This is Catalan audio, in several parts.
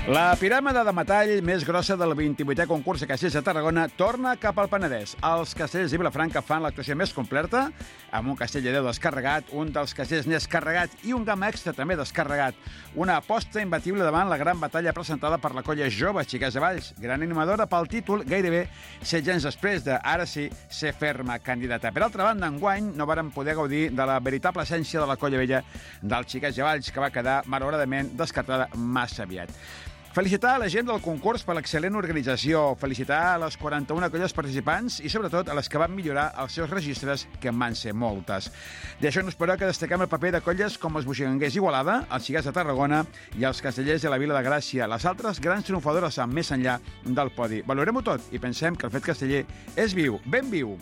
La piràmide de metall més grossa del 28è concurs de castells de Tarragona torna cap al Penedès. Els castells de Vilafranca fan l'actuació més completa, amb un castell de Déu descarregat, un dels castells més carregat i un gamma extra també descarregat. Una aposta imbatible davant la gran batalla presentada per la colla jove Xiquets de Valls, gran animadora pel títol gairebé 16 anys després de, ara sí, ser ferma candidata. Per altra banda, enguany no varen poder gaudir de la veritable essència de la colla vella del Xiquets de Valls, que va quedar, malauradament, descartada massa aviat. Felicitar a la gent del concurs per l'excel·lent organització, felicitar a les 41 colles participants i, sobretot, a les que van millorar els seus registres, que en van ser moltes. D'això no esperó que destaquem el paper de colles com els Buixanguers Igualada, els Xiquets de Tarragona i els Castellers de la Vila de Gràcia, les altres grans triomfadores amb més enllà del podi. Valorem-ho tot i pensem que el fet casteller és viu, ben viu.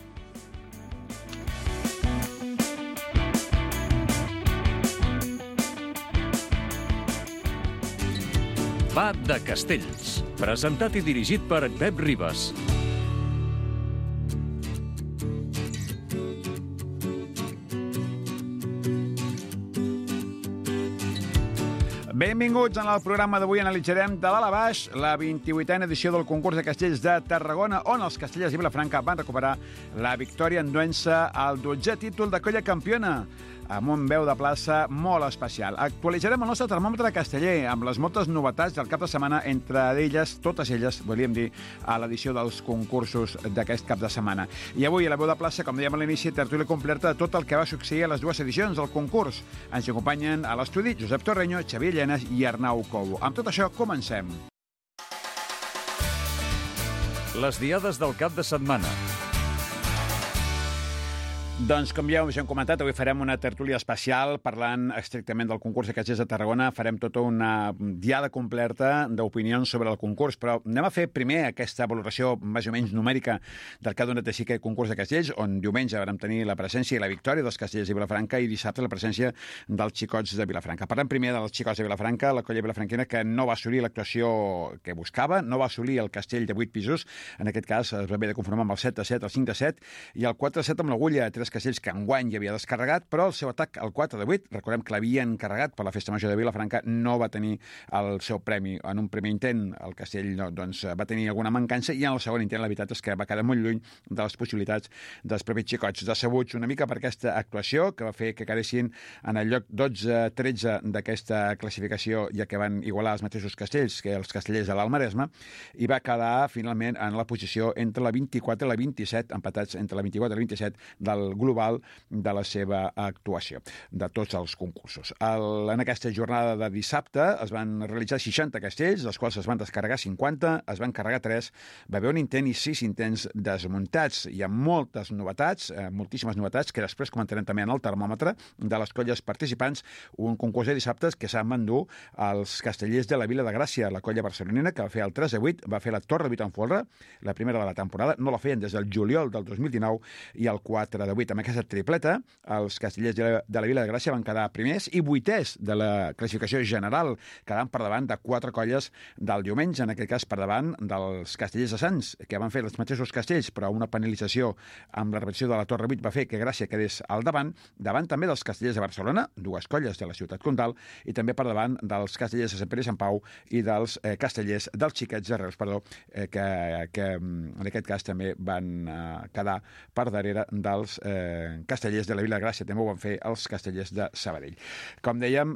Va de Castells, presentat i dirigit per Pep Ribas. Benvinguts. En el programa d'avui analitzarem de dalt a baix la 28a edició del concurs de castells de Tarragona, on els castellers de Vilafranca van recuperar la victòria enduent-se el 12è títol de colla campiona, amb un veu de plaça molt especial. Actualitzarem el nostre termòmetre casteller amb les moltes novetats del cap de setmana, entre elles, totes elles, volíem dir, a l'edició dels concursos d'aquest cap de setmana. I avui, a la veu de plaça, com dèiem a l'inici, tertúlia completa de tot el que va succeir a les dues edicions del concurs. Ens acompanyen a l'estudi Josep Torreño, Xavier Llenas i Arnau Cobo. Amb tot això, comencem. Les diades del cap de setmana. Doncs, com ja us hem comentat, avui farem una tertúlia especial parlant estrictament del concurs de castells de Tarragona. Farem tota una diada completa d'opinions sobre el concurs, però anem a fer primer aquesta valoració més o menys numèrica del que ha donat així aquest concurs de castells, on diumenge vam tenir la presència i la victòria dels castellers de Vilafranca i dissabte la presència dels xicots de Vilafranca. Parlem primer dels xicots de Vilafranca, la colla vilafranquina que no va assolir l'actuació que buscava, no va assolir el castell de 8 pisos, en aquest cas es va haver de conformar amb el 7-7, el 5-7 i el 4-7 amb l'agulla, tres castells que enguany ja havia descarregat, però el seu atac al 4-8, recordem que l'havien carregat per la Festa Major de Vilafranca, no va tenir el seu premi. En un primer intent el castell doncs, va tenir alguna mancança i en el segon intent la veritat és que va quedar molt lluny de les possibilitats dels propis xicots, decebuts una mica per aquesta actuació que va fer que quedessin en el lloc 12-13 d'aquesta classificació, ja que van igualar els mateixos castells que els castellers de l'Alt Maresme, i va quedar finalment en la posició entre la 24 i la 27, empatats entre la 24 i la 27 del global de la seva actuació, de tots els concursos. En aquesta jornada de dissabte es van realitzar 60 castells, dels quals es van descarregar 50, es van carregar 3, va haver un intent i 6 intents desmuntats. Hi ha moltes novetats, moltíssimes novetats, que després comentarem també en el termòmetre de les colles participants. Un concurs de dissabtes que s'han endur els castellers de la Vila de Gràcia, la colla barcelonina, que va fer el 3-8, va fer la Torre 8 en folre, la primera de la temporada, no la feien des del juliol del 2019, i el 4-8. Amb aquesta tripleta, els castellers de la Vila de Gràcia van quedar primers i 8è de la classificació general, quedant per davant de 4 colles del diumenge, en aquest cas per davant dels castellers de Sants, que van fer els mateixos castells, però una penalització amb la repetició de la Torre 8 va fer que Gràcia quedés al davant també dels castellers de Barcelona, 2 colles de la ciutat comtal, i també per davant dels castellers de Sant Pere i Sant Pau i dels castellers dels Xiquets de Reus, que en aquest cas també van quedar per darrere dels castellers de la Vila de Gràcia, també ho van fer els castellers de Sabadell. Com dèiem,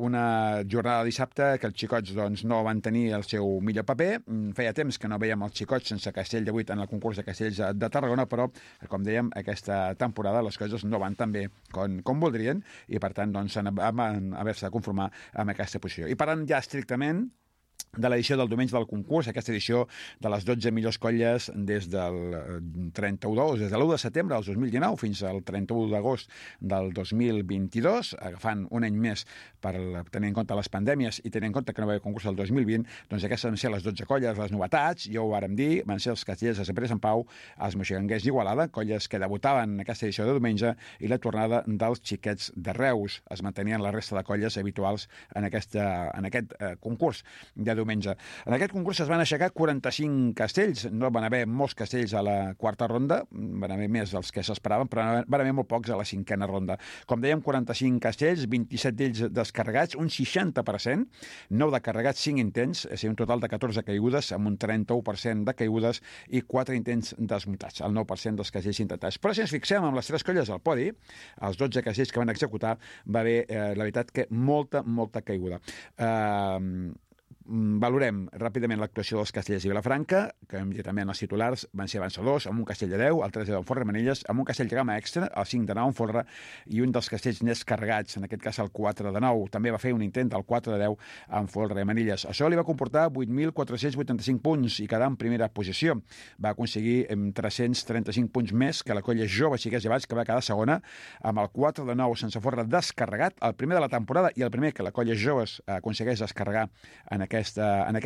una jornada de dissabte que els xicots doncs, no van tenir el seu millor paper. Feia temps que no veiem els xicots sense castell de 8 en el concurs de castells de Tarragona, però, com dèiem, aquesta temporada les coses no van tan bé com voldrien i, per tant, doncs, van haver-se de conformar amb aquesta posició. I parlant ja estrictament de l'edició del diumenge del concurs, aquesta edició de les 12 millors colles des del 31 des de l'1 de setembre del 2019 fins al 31 d'agost del 2022, agafant un any més per tenir en compte les pandèmies i tenir en compte que no va haver concurs el 2020, doncs aquestes van ser les 12 colles, les novetats, ja ho vàrem dir, van ser els castellers de Sant Pere i Sant Pau, els Moixigangers d'Igualada, colles que debutaven en aquesta edició de diumenge, i la tornada dels Xiquets de Reus. Es mantenien la resta de colles habituals en aquest concurs de diumenge. diumenge. En aquest concurs es van aixecar 45 castells. No van haver molts castells a la quarta ronda, van haver més dels que s'esperaven, però van haver molt pocs a la cinquena ronda. Com dèiem, 45 castells, 27 d'ells descarregats, un 60%, 9 de carregats, 5 intents, és a dir, un total de 14 caigudes, amb un 31% de caigudes i 4 intents desmuntats, el 9% dels castells intentats. Però si ens fixem en les tres colles al podi, els 12 castells que van executar, va haver, la veritat, que molta caiguda. Valorem ràpidament l'actuació dels castellers de Vilafranca, que hem dit també en els titulars, van ser avançadors, amb un castell de 10, el 3 de 10 en folre Manilles, amb un castell de gamma extra, el 5 de 9 en folre, i un dels castells més carregats, en aquest cas el 4 de 9. També va fer un intent del 4 de 10 en folre Manilles. Això li va comportar 8.485 punts i quedar en primera posició. Va aconseguir 335 punts més que la colla jove Xiquets Llevats, que va quedar segona, amb el 4 de 9 sense folre descarregat, el primer de la temporada i el primer que la colla joves aconsegueix descarregar en aquest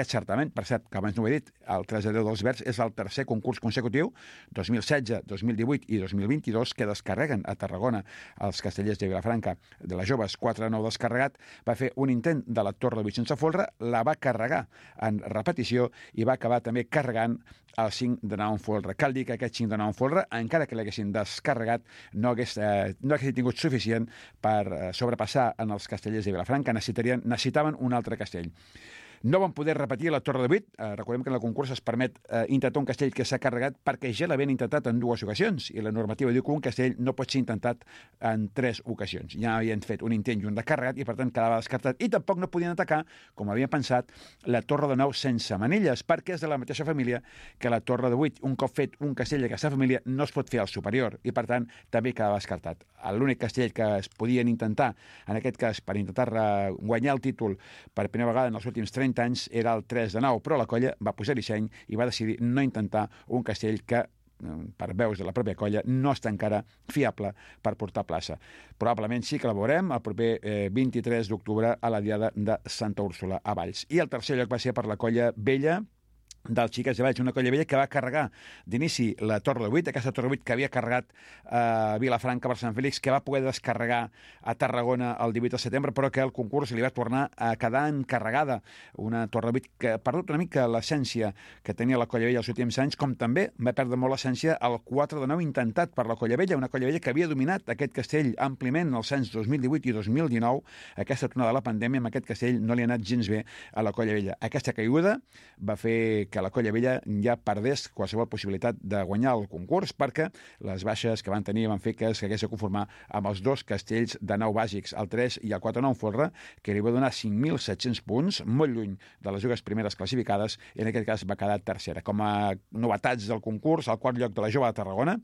certament. Per cert, que abans no ho he dit, el 3 de 10 dels Verds és el tercer concurs consecutiu, 2016, 2018 i 2022, que descarreguen a Tarragona els castellers de Vilafranca de les joves. 4 de 9 descarregat, va fer un intent de la Torre de 8 sense folre, la va carregar en repetició i va acabar també carregant el 5 de 9 en folre. Cal dir que aquest 5 de 9 en folre, encara que l'haguessin descarregat, no hagués tingut suficient per sobrepassar en els castellers de Vilafranca. Necessitaven un altre castell. No van poder repetir la Torre de 8. Recordem que en el concurs es permet intentar un castell que s'ha carregat perquè ja l'havien intentat en 2 ocasions i la normativa diu que un castell no pot ser intentat en 3 ocasions. Ja havien fet un intent i un de carregat i per tant quedava descartat i tampoc no podien atacar, com havien pensat, la Torre de 9 sense manilles, perquè és de la mateixa família que la Torre de 8. Un cop fet un castell d'aquesta família no es pot fer al superior i per tant també quedava descartat. L'únic castell que es podien intentar, en aquest cas per intentar guanyar el títol per primera vegada en els últims 30 anys, era el 3 de 9, però la colla va posar-hi seny i va decidir no intentar un castell que, per veus de la pròpia colla, no està encara fiable per portar plaça. Probablement sí que la veurem el proper 23 d'octubre a la Diada de Santa Úrsula a Valls. I el tercer lloc va ser per la colla vella dels Xiquets de Valls, una colla vella que va carregar d'inici la Torre de 8, aquesta Torre de 8 que havia carregat a Vilafranca per Sant Fèlix, que va poder descarregar a Tarragona el 18 de setembre, però que el concurs li va tornar a quedar encarregada. Una Torre de 8 que ha perdut una mica l'essència que tenia la colla vella els últims anys, com també va perdre molt l'essència el 4 de 9 intentat per la colla vella, una colla vella que havia dominat aquest castell àmpliament els anys 2018 i 2019. Aquesta tornada de la pandèmia, amb aquest castell no li ha anat gens bé a la colla vella. Aquesta caiguda va fer que la colla vella ja perdés qualsevol possibilitat de guanyar el concurs perquè les baixes que van tenir van fer que s'hagués de conformar amb els 2 castells de 9 bàsics, el 3 i el 4 9 en folre, que li va donar 5.700 punts, molt lluny de les dues primeres classificades, i en aquest cas va quedar tercera. Com a novetats del concurs, al quart lloc de la jove de Tarragona,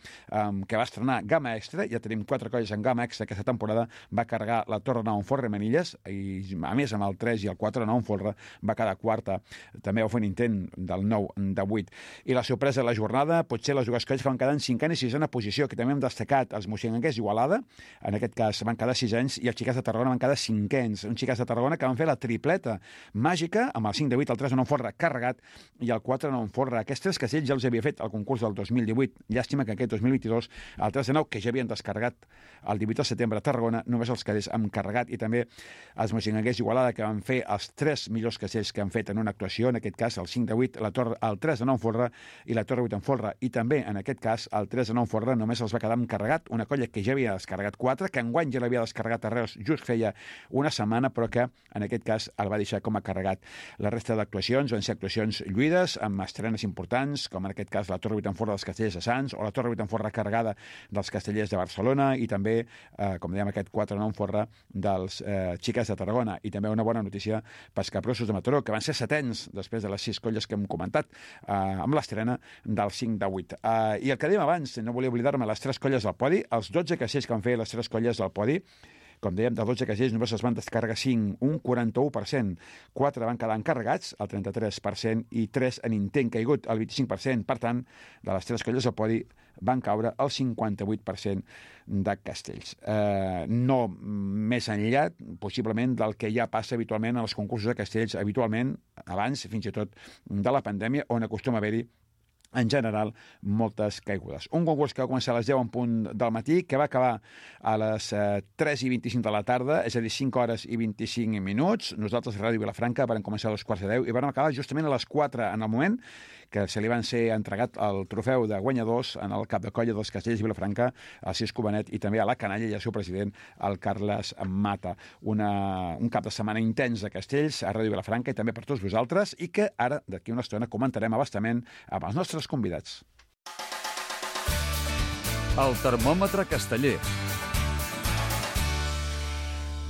que va estrenar gamma extra, ja tenim 4 colles en gamma extra aquesta temporada, va carregar la Torre 9 en folre Manilles, i a més amb el 3 i el 4 9 en folre va quedar quarta. També va fer un intent del 9 de 8. I la sorpresa de la jornada, potser les dues colles que van quedar en 5a i 6a posició, que també hem destacat els moixinguers Igualada, en aquest cas van quedar 6anys, i els Xiquets de Tarragona van quedar 5ens. Uns Xiquets de Tarragona que van fer la tripleta màgica, amb el 5 de 8, el 3 de 9 en folre carregat, i el 4 de 9 en folre. Aquests 3 castells ja els havia fet el concurs del 2018. Llàstima que aquest 2022, el 3 de 9, que ja havien descarregat el 18 de setembre a Tarragona, només els quedés amb carregat, i també els moixinguers Igualada, que van fer els 3 millors castells que han fet en una actuació, en aquest cas el 5 de 8, el 3 de 9 en folre i la Torre 8 en folre, i també en aquest cas el 3 de 9 en folre només els va quedar amb carregat, una colla que ja havia descarregat 4, que enguany ja l'havia descarregat a Reus just feia una setmana, però que en aquest cas el va deixar com a carregat. La resta d'actuacions van ser actuacions lluïdes, amb estrenes importants, com en aquest cas la Torre 8 en folre dels castellers de Sants, o la Torre 8 en folre carregada dels castellers de Barcelona, i també, com dèiem, aquest 4 9 en folre dels Xiquets de Tarragona. I també una bona notícia pels capgrossos de Mataró, que van ser setens després de les 6 colles que hem comentat, amb l'estrena del 5 de 8. I el que dèiem abans, no volia oblidar-me, les 3 colles del podi, els 12 castells que van fer les 3 colles del podi, com dèiem, dels 12 castells només es van descarregar 5, un 41%. 4 van quedar encarregats, el 33%, i 3 en intent caigut, el 25%. Per tant, de les 3 colles del podi van caure el 58% de castells. No més enllà, possiblement, del que ja passa habitualment en els concursos de castells, habitualment, abans, fins i tot, de la pandèmia, on acostuma a haver-hi en general, moltes caigudes. Un concurs que va començar a les 10 en punt del matí, que va acabar a les 3:25 de la tarda, és a dir, 5 hores i 25 minuts. Nosaltres, a Ràdio Vilafranca, vam començar a les 4:10 i vam acabar justament a les 4 en el moment que se li van ser entregat el trofeu de guanyadors en el cap de colla dels Castells de Vilafranca, al Cisco Benet i també a la canalla i al seu president, el Carles Mata. Un cap de setmana intens de Castells a Ràdio Vilafranca i també per tots vosaltres i que ara, d'aquí una estona, comentarem abastament amb els nostres convidats. El termòmetre casteller.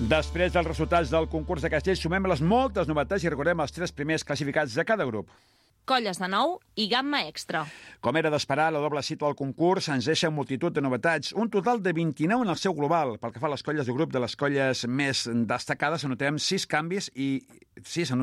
Després dels resultats del concurs de Castells, sumem les moltes novetats i recordem els 3 primers classificats de cada grup. Colles de nou i gamma extra. Com era d'esperar, la doble cita del concurs ens deixa multitud de novetats, un total de 29 en el seu global. Pel que fa a les colles de grup, de les colles més destacades, anotem 6 canvis i 6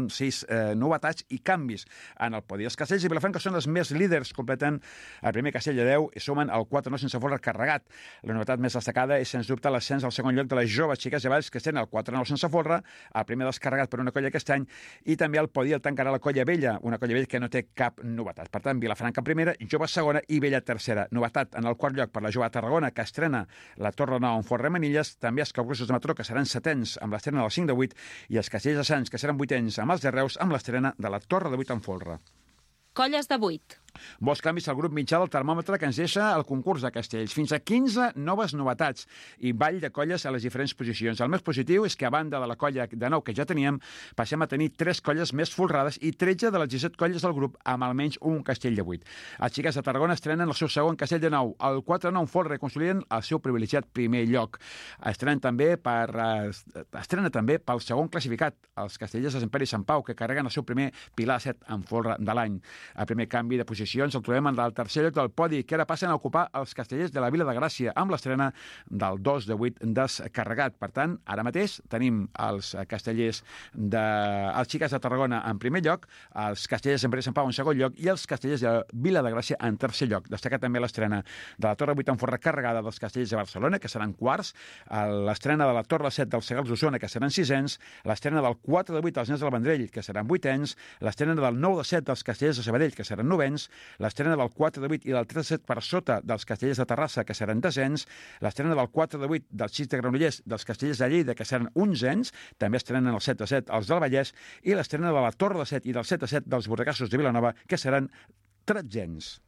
novetats i canvis en el podi. Els Castells de Vilafranca són els més líders, completen el primer castell de 10 i sumen el 4 sense folre carregat. La novetat més destacada és, sens dubte, l'ascens al segon lloc de les joves xiques de Valls, que estan el 4 sense folre, el primer descarregat per una colla aquest any, i també el podi el tancarà la colla vella, una colla vella que no té cap novetat. Per tant, Vilafranca primera, jove segona i vella tercera. Novetat en el quart lloc per la jove Tarragona, que estrena la Torre Nou en Fort Remenilles, també els Capgrossos de Mataró, que seran setens amb l'estrena del 5 de 8, i els Castells de Sants, que seran vuitens amb els de Reus, amb l'estrena de la Torre de 8 en folre. Colles de 8. Molts canvis al grup mitjà del termòmetre que ens deixa el concurs de Castells. Fins a 15 noves novetats i ball de colles a les diferents posicions. El més positiu és que, a banda de la colla de 9 que ja teníem, passem a tenir 3 colles més folrades i 13 de les 17 colles del grup amb almenys un castell de 8. Els xiques de Tarragona estrenen el seu segon castell de 9. El 4-9 folre consoliden el seu privilegiat primer lloc. Estrena també pel segon classificat, els castellers de Sant Pere i Sant Pau, que carreguen el seu primer pilar 7 en folre de l'any. El primer canvi de posicions el trobem en el tercer lloc del podi, que ara passen a ocupar els castellers de la Vila de Gràcia, amb l'estrena del 2 de 8 descarregat. Per tant, ara mateix tenim els castellers els xiques de Tarragona en primer lloc, els castellers de Sant Pere i Sant Pau en segon lloc i els castellers de Vila de Gràcia en tercer lloc. Destaca també l'estrena de la Torre 8 en folre carregada dels castellers de Barcelona, que seran quarts, l'estrena de la Torre 7 dels Segals d'Osona, que seran sisens, l'estrena del 4 de 8 dels Nens del Vendrell, que seran vuitens, l'estrena del 9 de 7 dels castellers de Sabadell, que seran novens, l'estrena del 4 de 8 i del 3 de 7 per sota dels castellers de Terrassa, que seran desens, l'estrena del 4 de 8 dels 6 de Granollers, dels castellers de Lleida, que seran onzens, també estrenen el 7 de 7 els del Vallès, i l'estrena de la Torre de 7 i del 7 de 7 dels Borregassos de Vilanova, que seran tretzens.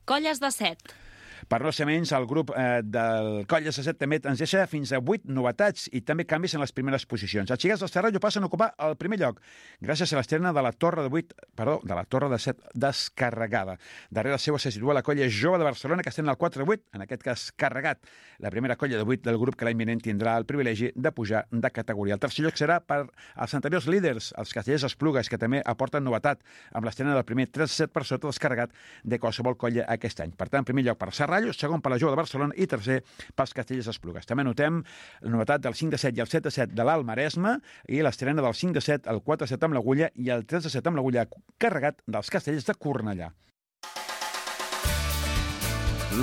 Colles de 7. Per no ser menys, el grup del Colles de 7 també ens deixa fins a 8 novetats i també canvis en les primeres posicions. Els xiques del Serrallo passen a ocupar el primer lloc gràcies a l'estrena de la Torre de 7 descarregada. Darrere seu se situa la colla jove de Barcelona, que estrena el 4 de 8, en aquest cas carregat. La primera colla de 8 del grup que l'any vinent tindrà el privilegi de pujar de categoria. El tercer lloc serà per als anteriors líders, els castellers Esplugues, que també aporten novetat amb l'estrena del primer 3-7 per sota descarregat de qualsevol colla aquest any. Per tant, primer lloc per Serrallo, segon per la jove de Barcelona i tercer pels castellers Esplugues. També notem la novetat del 5 de 7 i el 7 de 7 de l'Alt Maresme i l'estrena del 5 de 7, el 4 de 7 amb l'Agulla i el 3 de 7 amb l'Agulla carregat dels castellers de Cornellà.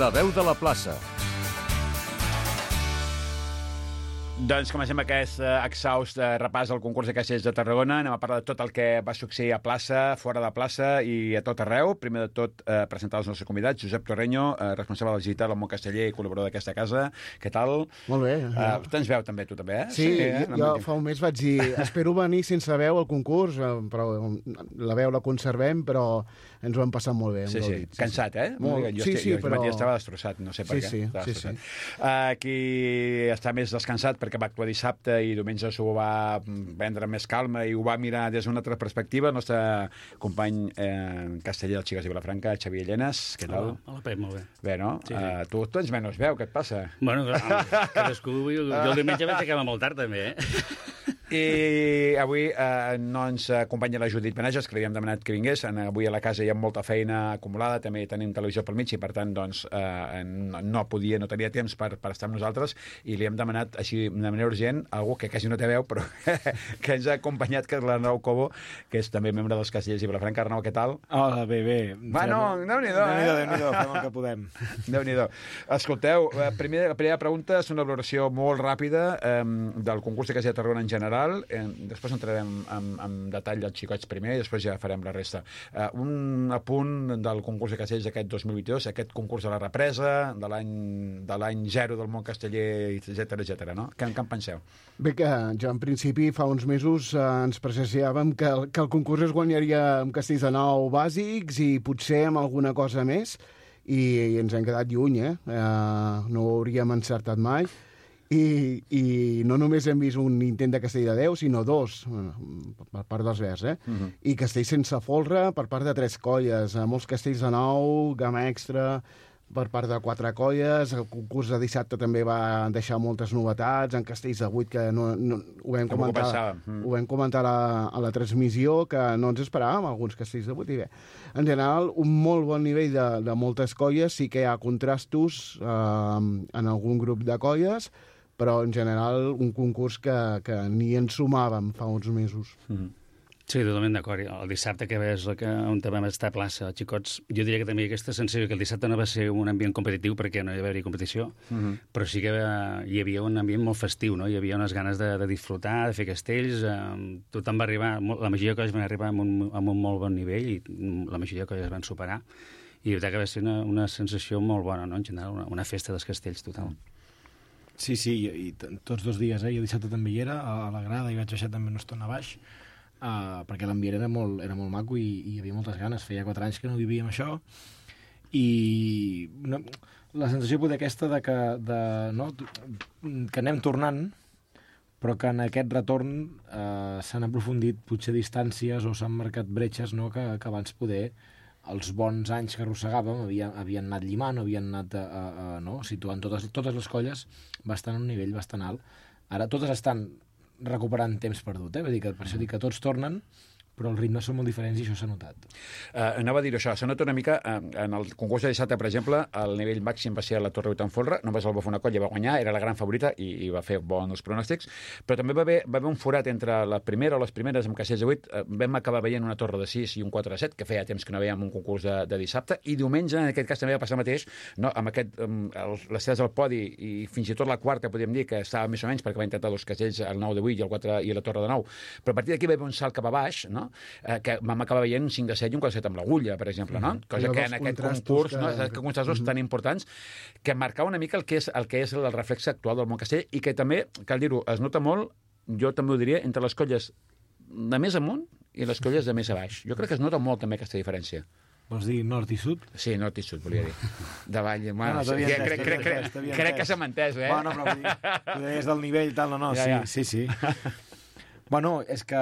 La veu de la plaça. Doncs comencem aquest exhaust repàs al concurs de castellers de Tarragona. Anem a parlar de tot el que va succeir a plaça, fora de plaça i a tot arreu. Primer de tot, presentar els nostres convidats. Josep Torreño, responsable digital al món casteller i col·laborador d'aquesta casa. Què tal? Molt bé. Tens veu també, tu també, eh? Sí, jo fa un mes vaig dir espero venir sense veu al concurs, però la veu la conservem, però ens ho hem passat molt bé. Sí. Cansat, eh? Molt. Jo però... estava destrossat, no sé per què. Sí. Qui està més descansat perquè va actuar dissabte i diumenge s'ho va prendre més calma i ho va mirar des d'una altra perspectiva, el nostre company casteller dels Xiques de Vilafranca, Xavier Llenes. Què tal? Hola, Pep, molt bé. Bé, no? Sí. Tu tens menys veu, què et passa? Bueno, cadascú... Jo el diumenge vaig acabar molt tard, també, I avui no ens acompanya la Judit Benages, que li havíem demanat que vingués. Avui a la casa hi ha molta feina acumulada, també tenim televisió pel mig i, per tant, doncs, no tenia temps per estar amb nosaltres i li hem demanat, així, de manera urgent, algú que quasi no té veu, però que ens ha acompanyat, que és l'Arnau Cobo, que és també membre dels Castellers i Vilafranca. Arnau, què tal? Hola, bé. Bueno, Déu-n'hi-do, Déu-n'hi-do, fem el que podem. Déu-n'hi-do. Escolteu, la primera pregunta és una valoració molt ràpida del concurs de Castellers de Tarragona en general. general, després entrarem en detall dels xicots primer i després ja farem la resta. Un apunt del concurs de castells d'aquest 2022, aquest concurs de la represa, de l'any 0 del món casteller, etc, no? Què en penseu? Bé, que jo en principi fa uns mesos ens presagiàvem que el concurs es guanyaria amb castells de nou bàsics i potser amb alguna cosa més, i ens hem quedat lluny, no ho hauríem encertat mai. I no només hem vist un intent de castell de 10, sinó 2, per part dels Verds, I castells sense folre per part de 3 colles, molts castells de 9, gamma extra per part de 4 colles. El concurs de dissabte també va deixar moltes novetats, en castells de 8, que ho vam comentar a la transmissió, que no ens esperàvem, alguns castells de 8, i bé. En general, un molt bon nivell de moltes colles, sí que hi ha contrastos en algun grup de colles, però en general un concurs que ni ens sumàvem fa uns mesos. Sí, totalment d'acord. El dissabte que és on vam estar a plaça, els xicots, jo diria que també aquesta sensació que el dissabte no va ser un ambient competitiu perquè no hi va haver competició, però sí que hi havia un ambient molt festiu, no? Hi havia unes ganes de disfrutar, de fer castells, tothom va arribar, la majoria de colles van arribar amb un molt bon nivell i la majoria de colles van superar, i la veritat que va ser una sensació molt bona, no? En general, una festa dels castells total. Sí, i tots 2 dies, jo dissabte també hi era, a la grada, i vaig baixar també una estona a baix, perquè l'ambient era molt maco i hi havia moltes ganes. Feia 4 anys que no vivíem això, i la sensació poder aquesta que anem tornant, però que en aquest retorn s'han aprofundit potser distàncies o s'han marcat bretxes, no? que abans poder els bons anys que arrossegàvem havien anat llimant, havien anat situant totes les colles bastant a un nivell bastant alt. Ara totes estan recuperant temps perdut, vull dir que per això dic que tots tornen, però els ritmes són molt diferents i això s'ha notat. Anava a dir això, s'ha notat una mica en el concurs de dissabte, per exemple, el nivell màxim va ser a la Torre Utanfolre, només el va fer una colla, va guanyar, era la gran favorita i va fer bons pronòstics, però també va haver un forat entre la primera o les primeres amb castells de 8, vam acabar veient una Torre de 6 i un 4 de 7, que feia temps que no veiem un concurs de dissabte, i diumenge, en aquest cas, també va passar el mateix, no? Amb les 3 al podi i fins i tot la quarta, podríem dir, que estava més o menys, perquè va intentar 2 castells, el 9 de 8 i el 4 i la Torre de 9, però a partir d'aquí va haver un salt cap a baix, no? Que vam acabar veient un 5 de 7 i un 4 de 7 amb l'agulla, per exemple, no? Cosa que en aquest concurs, que contrastos tan importants, que marcava una mica el que és el reflex actual del món castell, i que també, cal dir-ho, es nota molt, jo també ho diria, entre les colles de més amunt i les colles de més a baix. Jo crec que es nota molt també aquesta diferència. Vols dir nord i sud? Sí, nord i sud, volia dir. De vall, crec que s'ha entès, Bueno, però vull dir, tu deies del nivell i tal, sí. Bueno, és que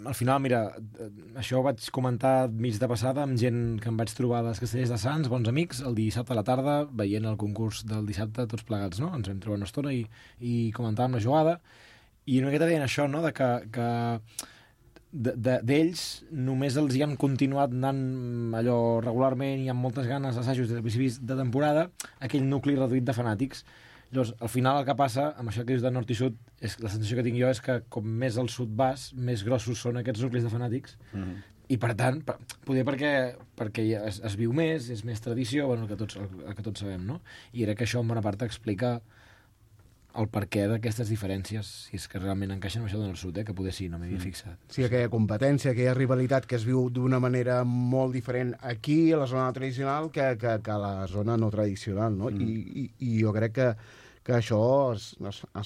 al final, mira, això ho vaig comentar mig de passada amb gent que em vaig trobar a les Castellers de Sants, bons amics, el dissabte a la tarda, veient el concurs del dissabte tots plegats, no? Ens vam trobar una estona i comentàvem la jugada, i una miqueta deien això, no?, que d'ells només els hi han continuat anant allò regularment i amb moltes ganes d'assajos des de principis de temporada, aquell nucli reduït de fanàtics. Llavors, al final el que passa, amb això que dius de nord i sud, la sensació que tinc jo és que com més al sud vas, més grossos són aquests nuclis de fanàtics, i per tant, poder perquè es viu més, és més tradició, bueno, el que tots sabem, no? I era que això en bona part explica el perquè d'aquestes diferències, si és que realment encaixen amb això del sud, que poder sí, no m'hi havia fixat. Sí, aquella competència, aquella rivalitat que es viu d'una manera molt diferent aquí, a la zona tradicional, que a la zona no tradicional, no? I jo crec que això es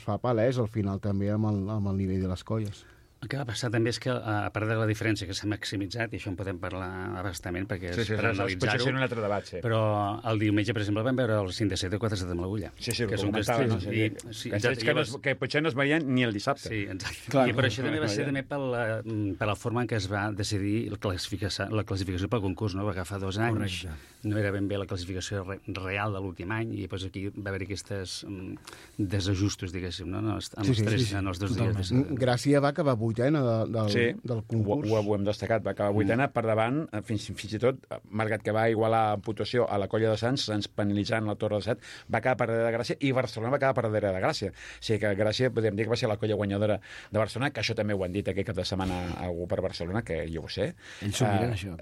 fa palès al final també amb el nivell de les colles. El que va passar també és que, a part de la diferència que s'ha maximitzat, i això en podem parlar abastament perquè és per analitzar-ho, potser ser un altre debat, sí. Però el diumenge, per exemple, vam veure el 5 de 7 i el 4 de 7 amb l'agulla. Sí, que són castells, castells que potser no es veien ni el dissabte. Sí, exacte. Clar, però això també va ser també per la forma en què es va decidir la classificació pel concurs, no? Perquè fa 2 anys no era ben bé la classificació real de l'últim any, i després aquí va haver-hi aquests desajustos, diguéssim, no? En els 2 dies. Gràcia va acabar vuitena del concurs. Ho hem destacat, va acabar vuitena per davant, fins i tot, malgrat que va igualar en puntuació a la Colla de Sants, ens penalitzant la Torre de Set, va acabar per darrere de Gràcia, i Barcelona va acabar per darrere de Gràcia. O sigui que Gràcia, podríem dir que va ser la colla guanyadora de Barcelona, que això també ho han dit aquest cap de setmana algú per Barcelona, que jo ho sé. Ells s'ho miren, això.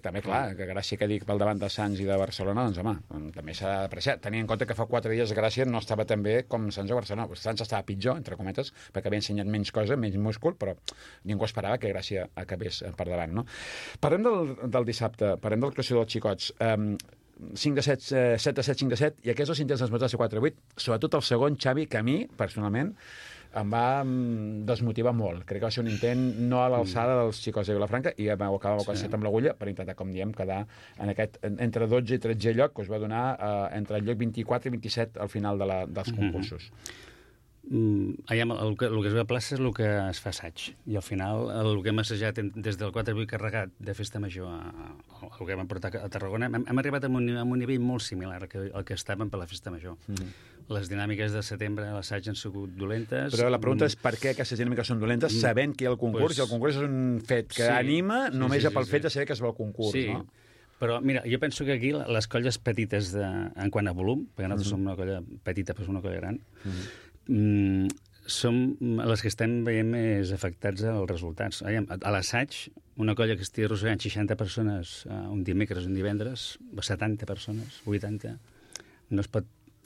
També, clar, que Gràcia que dic pel davant de Sants i de Barcelona, doncs, home, també s'ha d'apreciar. Tenint en compte que fa 4 dies Gràcia no estava tan bé com Sants o Barcelona. Sants estava pitjor, entre cometes, perquè havia ensenyat menys cosa, menys múscul, però ningú esperava que Gràcia acabés per davant, no? Parlem del dissabte, parlem del classió dels xicots. 5 de 7, 7 de 7, 5 de 7, i aquests dos intents dels motors de 4 de 8, sobretot el segon, Xavi, que a mi, personalment, em va desmotivar molt. Crec que va ser un intent no a l'alçada dels xicots de Vilafranca, i ho acabava quasi amb l'agulla per intentar, com diem, quedar en aquest, entre 12 i 13 lloc, que us va donar entre el lloc 24 i 27 al final dels concursos. El que es ve a plaça és el que es fa assaig, i al final el que hem assajat des del 4-8 carregat de festa major al que vam portar a Tarragona, hem arribat a un nivell molt similar al que estàvem per la festa major. Les dinàmiques de setembre a l'assaig han sigut dolentes. Però la pregunta és per què aquestes dinàmiques són dolentes, sabent que hi ha el concurs, i el concurs és un fet que anima només pel fet de saber que es va al concurs, no? Però, mira, jo penso que aquí les colles petites en quant a volum, perquè nosaltres som una colla petita, però som una colla gran, som les que estem veient més afectats als resultats. A l'assaig, una colla que estigui arrossegant 60 persones un dimecres, un divendres, 70 persones, 80, no es pot...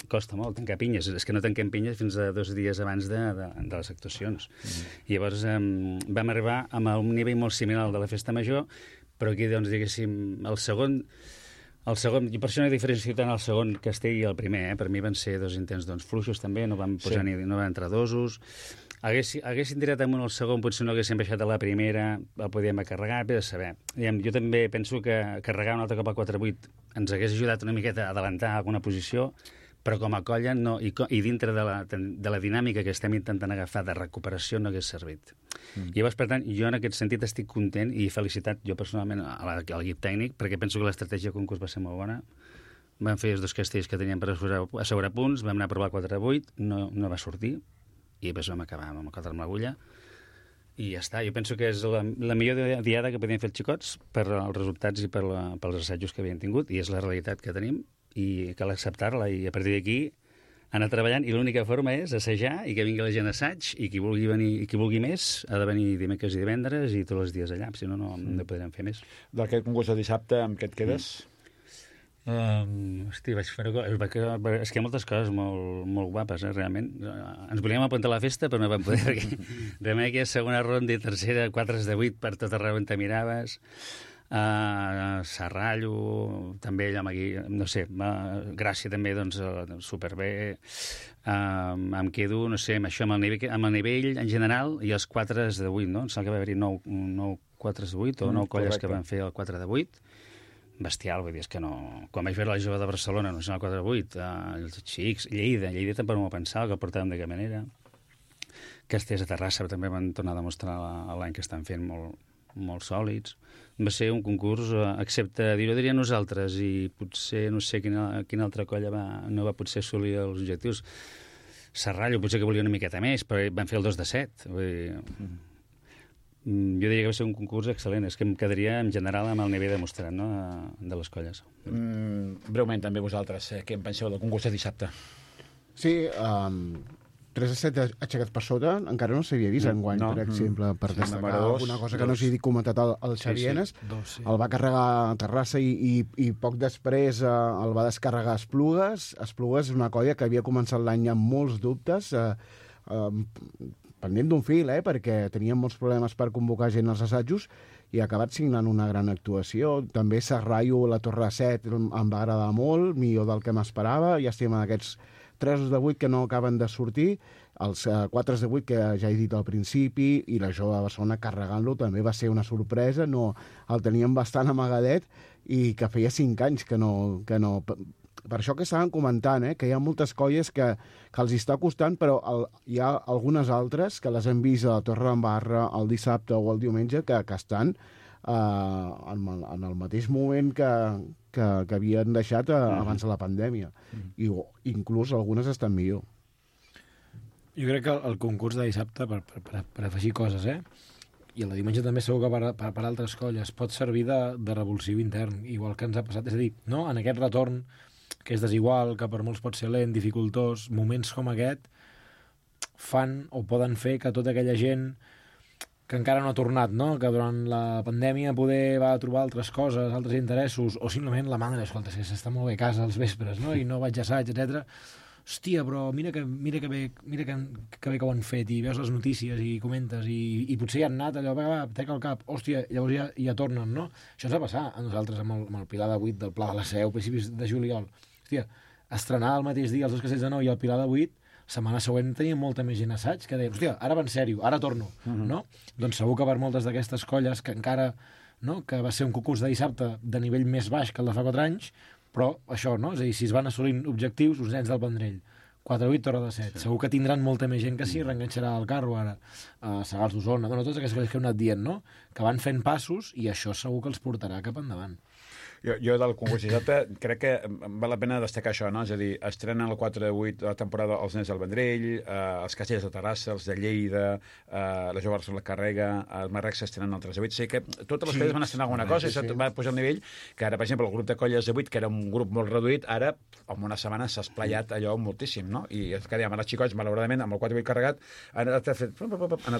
Costa molt tancar pinyes. És que no tanquem pinyes fins a 2 dies abans de les actuacions. I llavors vam arribar a un nivell molt similar al de la festa major, però aquí, doncs, diguéssim, el segon, jo per això no he diferenciat tant el segon castell i el primer, Per mi van ser 2 intents fluixos també, no vam posar no van entrar dosos. Haguessin tirat amunt el segon, potser no haguessin baixat a la primera, el podíem carregar, bé de saber. Jo també penso que carregar un altre cop a 4-8 ens hagués ajudat una miqueta a adelantar alguna posició, però com a colla no, i dintre de la dinàmica que estem intentant agafar de recuperació no hagués servit. Llavors, per tant, jo en aquest sentit estic content i felicitat jo personalment al equip tècnic, perquè penso que l'estratègia de concurs va ser molt bona. Vam fer els 2 castells que teníem per assegurar punts, vam anar a provar 4-8, no va sortir, i després vam acabar amb el 4 amb l'agulla, i ja està. Jo penso que és la millor diada que podien fer els xicots per als resultats i pels assajos que havien tingut, i és la realitat que tenim, i cal acceptar-la, i a partir d'aquí anar treballant, i l'única forma és assajar i que vingui la gent a assaig, i qui vulgui venir i qui vulgui més ha de venir dimecres i divendres i tots els dies allà, si no, no podrem fer més. D'aquest concurs de dissabte, amb què et quedes? Hosti, vaig fer... És que hi ha moltes coses molt guapes, realment. Ens volíem apuntar a la festa, però no vam poder, perquè realment aquí segona ronda i tercera, 4 de 8 per tot arreu on te miraves. Serrallo, també allà aquí, no sé, Gràcia també, doncs, superbé. Em quedo, no sé, amb això, amb el nivell en general, i els 4 de 8, no? Em sembla que va haver-hi 9 4 de 8 o 9 colles que van fer el 4 de 8. Bestial, vull dir, és que no... Quan vaig veure la jove de Barcelona, no sé, el 4 de 8, els xics, Lleida tampoc no m'ho pensava, que el portàvem de cap manera. Castells a Terrassa també van tornar a demostrar l'any que estan fent molt sòlids. Va ser un concurs, excepte dir-ho diria nosaltres, i potser no sé quina altra colla no va potser assolir els objectius. Serrallo potser que volia una miqueta més, però van fer el 2 de 7. Vull dir, jo diria que va ser un concurs excel·lent. És que em quedaria en general amb el nivell demostrat, no?, de les colles. Breument, també vosaltres, què en penseu del concurs de dissabte? Sí, 3 de 7 aixecats per sota, encara no s'havia vist enguany, per exemple, per destacar alguna cosa que no s'hi comentat el Xavienes. El va carregar a Terrassa i poc després el va descarregar a Esplugues. Esplugues és una colla que havia començat l'any amb molts dubtes, pendent d'un fil, perquè tenien molts problemes per convocar gent als assajos, i ha acabat signant una gran actuació. També Serrallo, la Torre 7, em va agradar molt, millor del que m'esperava. Ja estem en aquests 3 de 8 que no acaben de sortir, els 4 de 8 que ja he dit al principi, i la jove de Barcelona carregant-lo també va ser una sorpresa. No, el teníem bastant amagadet, i que feia 5 anys que no... Per això que estaven comentant, que hi ha moltes colles que els està costant, però hi ha algunes altres que les hem vist a la Torre d'Embarra el dissabte o el diumenge que estan en el mateix moment que havien deixat abans de la pandèmia. I inclús algunes estan millor. Jo crec que el concurs de dissabte, per afegir coses, i el de diumenge també segur que per altres colles pot servir de revulsiu intern, igual que ens ha passat. És a dir, no? En aquest retorn, que és desigual, que per molts pot ser lent, dificultós, moments com aquest fan o poden fer que tota aquella gent que encara no ha tornat, no? Que durant la pandèmia poder va trobar altres coses, altres interessos, o simplement la mandra, escolta, si s'està molt bé a casa als vespres, no? I no vaig a assaig, etc. Hòstia, però mira que bé que ho han fet, i veus les notícies i comentes, i potser ja han anat allò, va, trec el cap, hòstia, llavors ja tornen, no? Això ens va passar a nosaltres amb el Pilar de 8 del Pla de la Seu, principis de juliol. Hòstia, estrenar el mateix dia els dos castells de 9 i el Pilar de 8, setmana següent tenia molta més gent assaig que deia, hòstia, ara va en sèrio, ara torno, no? Doncs segur que per moltes d'aquestes colles que encara, no?, que va ser un concurs de dissabte de nivell més baix que el de fa 4 anys, però això, no? És a dir, si es van assolint objectius, uns nens del Vendrell, 4-8, Torre de 7, segur que tindran molta més gent que s'hi reenganxarà al carro ara, a Sagals d'Osona, bueno, totes aquestes coses que heu anat dient, no?, que van fent passos i això segur que els portarà cap endavant. Jo del concurs dissabte crec que val la pena destacar això, no? És a dir, estrenen el 4 de 8 de la temporada els nens del Vendrell, els castells de Terrassa, els de Lleida, la Jove Barcelona Carrega, els Marrecs s'estrenen el 3 de 8. O sigui que totes les colles van estrenar alguna cosa i això va pujar el nivell, que ara, per exemple, el grup de colles de 8, que era un grup molt reduït, ara, en una setmana s'ha esplayat allò moltíssim, no? I és que dèiem, els xicots, malauradament, amb el 4 de 8 carregat, han anat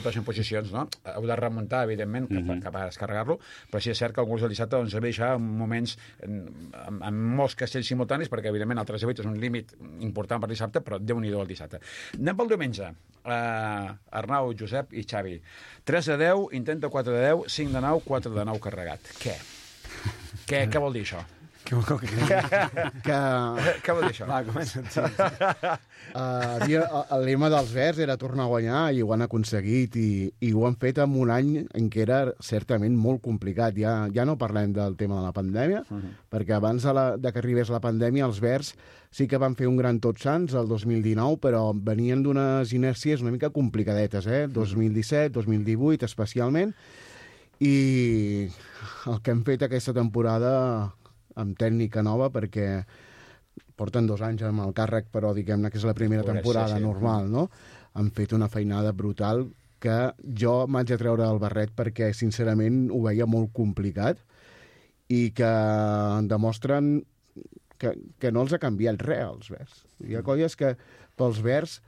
baixant posicions, no? Heu de remuntar, evidentment, cap a descarregar-lo, però sí és cert que el concurs del dissabte ens va deixar moments en molts castells simultanis, perquè evidentment el 3 de 8 és un límit important per dissabte, però Déu-n'hi-do el dissabte. Anem pel diumenge. Arnau, Josep i Xavi. 3 de 10, intenta 4 de 10, 5 de 9, 4 de 9 carregat. Què vol dir això? Què vol dir això? Va, comença. El lema dels Verds era tornar a guanyar i ho han aconseguit i ho han fet en un any en què era certament molt complicat. Ja no parlem del tema de la pandèmia, perquè abans de que arribés la pandèmia els Verds sí que van fer un gran Tots Sants el 2019, però venien d'unes inèrcies una mica complicadetes, 2017, 2018 especialment, i el que hem fet aquesta temporada amb tècnica nova, perquè porten 2 anys amb el càrrec, però diguem-ne que és la primera temporada normal, no? Han fet una feinada brutal que jo m'haig de treure el barret perquè, sincerament, ho veia molt complicat i que demostren que no els ha canviat res, els Verds. Hi ha colles que, pels Verds,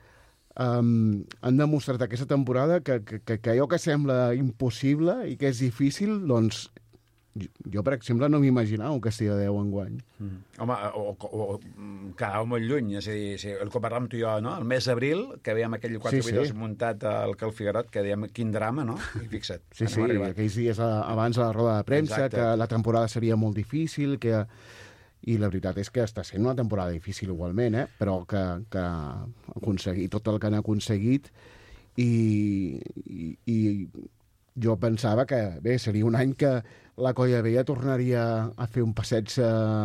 han demostrat aquesta temporada que allò que sembla impossible i que és difícil, doncs jo, per exemple, no m'imaginava un Castell de 10 enguany. Home, o quedava molt lluny. És a dir, el que parlàvem tu i jo, no? El mes d'abril, que veiem aquell 4 vídeos muntat al Cal Figuerot, que dèiem, quin drama, no? I fixa't. Sí, aquells dies abans de la roda de premsa, que la temporada seria molt difícil, i la veritat és que està sent una temporada difícil igualment, però que aconseguir tot el que han aconseguit i jo pensava que, bé, seria un any que la Colla Vella tornaria a fer un passeig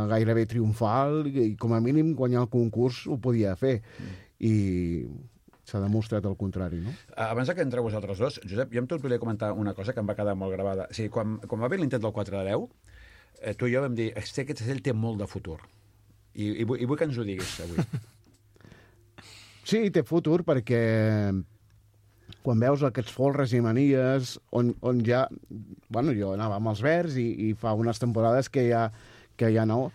gairebé triomfal i, com a mínim, guanyar el concurs ho podia fer. I s'ha demostrat el contrari, no? Abans que entreu vosaltres dos, Josep, jo em volia comentar una cosa que em va quedar molt gravada. O sigui, quan va haver l'intent del 4 de 10, tu i jo vam dir, aquest castell té molt de futur. I vull que ens ho diguis avui. Sí, té futur perquè quan veus aquests folres i manies on ja... Bueno, jo anava amb els Verds i fa unes temporades que ja no,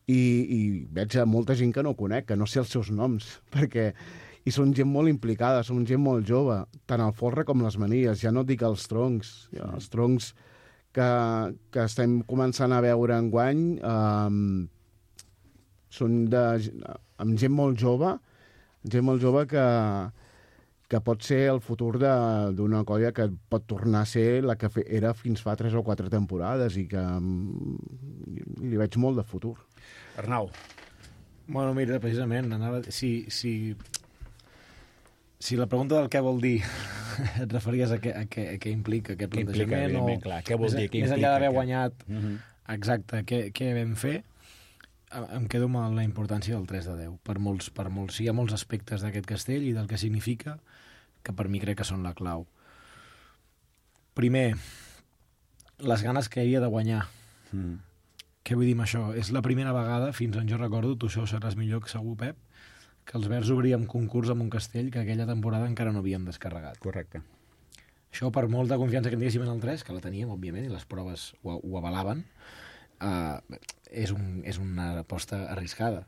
i veig a molta gent que no conec, que no sé els seus noms, perquè i són gent molt implicada, són gent molt jove, tant el folre com les manies, ja no dic els troncs. Els troncs que estem començant a veure enguany són amb gent molt jove que pot ser el futur d'una colla que pot tornar a ser la que era fins fa 3 o 4 temporades i que li veig molt de futur. Arnau. Bueno, mira, precisament, si la pregunta del què vol dir et referies a què implica aquest plantejament, què vol dir, què implica, més enllà d'haver guanyat exacte, què vam fer, em quedo amb la importància del 3 de 10. Per molts, hi ha molts aspectes d'aquest castell i del que significa, que per mi crec que són la clau. Primer, les ganes que hi havia de guanyar. Què vull dir amb això? És la primera vegada, fins on jo recordo, tu això ho sabràs millor que segur, Pep, que els Verds obríem concurs amb un castell que aquella temporada encara no havíem descarregat. Correcte. Això, per molta confiança que tinguéssim en el 3, que la teníem, òbviament, i les proves ho avalaven, és una aposta arriscada,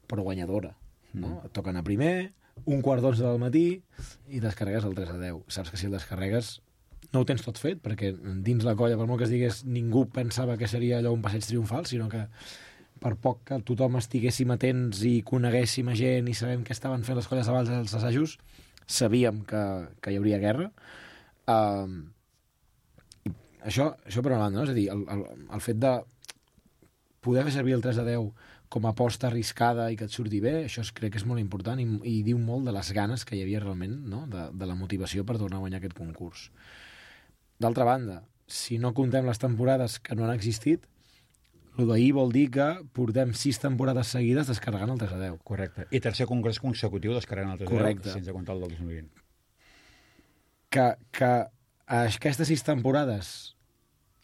però guanyadora. No? Et toca anar primer, 1:15 del matí, i descarregues el 3-10. Saps que si el descarregues no ho tens tot fet, perquè dins la colla, per molt que es digués, ningú pensava que seria allò un passeig triomfal, sinó que per poc que tothom estiguéssim atents i coneguéssim a gent i sabem què estaven fent les colles abans dels assajos, sabíem que hi hauria guerra. Això per una banda, no? És a dir, el fet de poder fer servir el 3-10 com a aposta arriscada i que et surti bé, això crec que és molt important i diu molt de les ganes que hi havia realment, no? de la motivació per tornar a guanyar aquest concurs. D'altra banda, si no comptem les temporades que no han existit, el d'ahir vol dir que portem 6 temporades seguides descarregant el 3-10. Correcte. I tercer congrés consecutiu descarregant el 3-10. Correcte. Sense comptar el del 2020. Que aquestes 6 temporades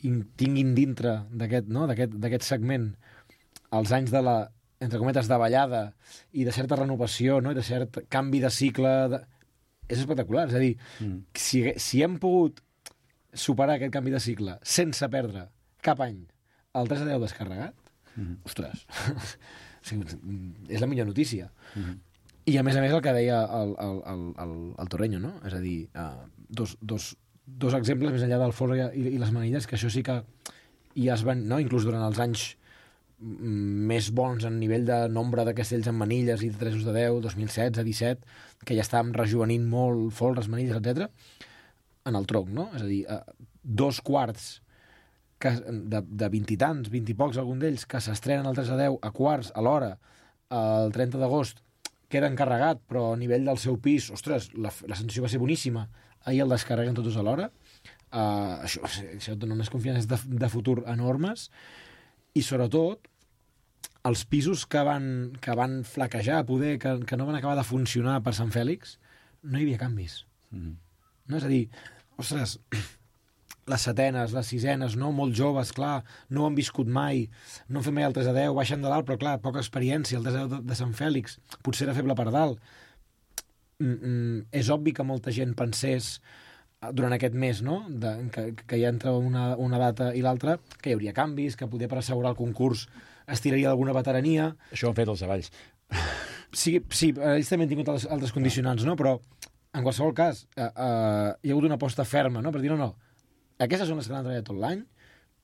tinguin dintre d'aquest segment els anys de la, entre cometes, davallada i de certa renovació, no? I de cert canvi de cicle... És espectacular. És a dir, si hem pogut superar aquest canvi de cicle sense perdre cap any el 3-10 descarregat, ostres, és la millor notícia. I a més el que deia el Torreño, no? És a dir, dos exemples més enllà del folre i les manilles, que això sí que ja es van, no? Inclús durant els anys més bons en nivell de nombre de castells amb manilles i de 3-10, 2016, 17, que ja estàvem rejuvenint molt folres, manilles, etc. En el tronc, no? És a dir, 2 quarts de 20 i tants, 20 i pocs, algun d'ells, que s'estrenen al 3-10 a quarts, a l'hora, el 30 d'agost, queda encarregat, però a nivell del seu pis, ostres, la sensació va ser boníssima. Ahir el descarreguen tots a l'hora. Això dona unes confiances de futur enormes. I, sobretot, els pisos que van flaquejar, poder, que no van acabar de funcionar per Sant Fèlix, no hi havia canvis. No? És a dir, ostres, les setenes, les sisenes, no? Molt joves, clar, no ho han viscut mai, no han fet mai el 3-10, baixen de dalt, però clar, poca experiència, el 3-10 de Sant Fèlix, potser era feble per dalt. És obvi que molta gent pensés durant aquest mes, no? Que hi entra una data i l'altra, que hi hauria canvis, que poder per assegurar el concurs es tiraria d'alguna veterania. Això ho han fet els avalls. Sí, ells també han tingut altres condicionants, no? Però en qualsevol cas hi ha hagut una aposta ferma, no? Per dir, no, aquestes són les que han treballat tot l'any,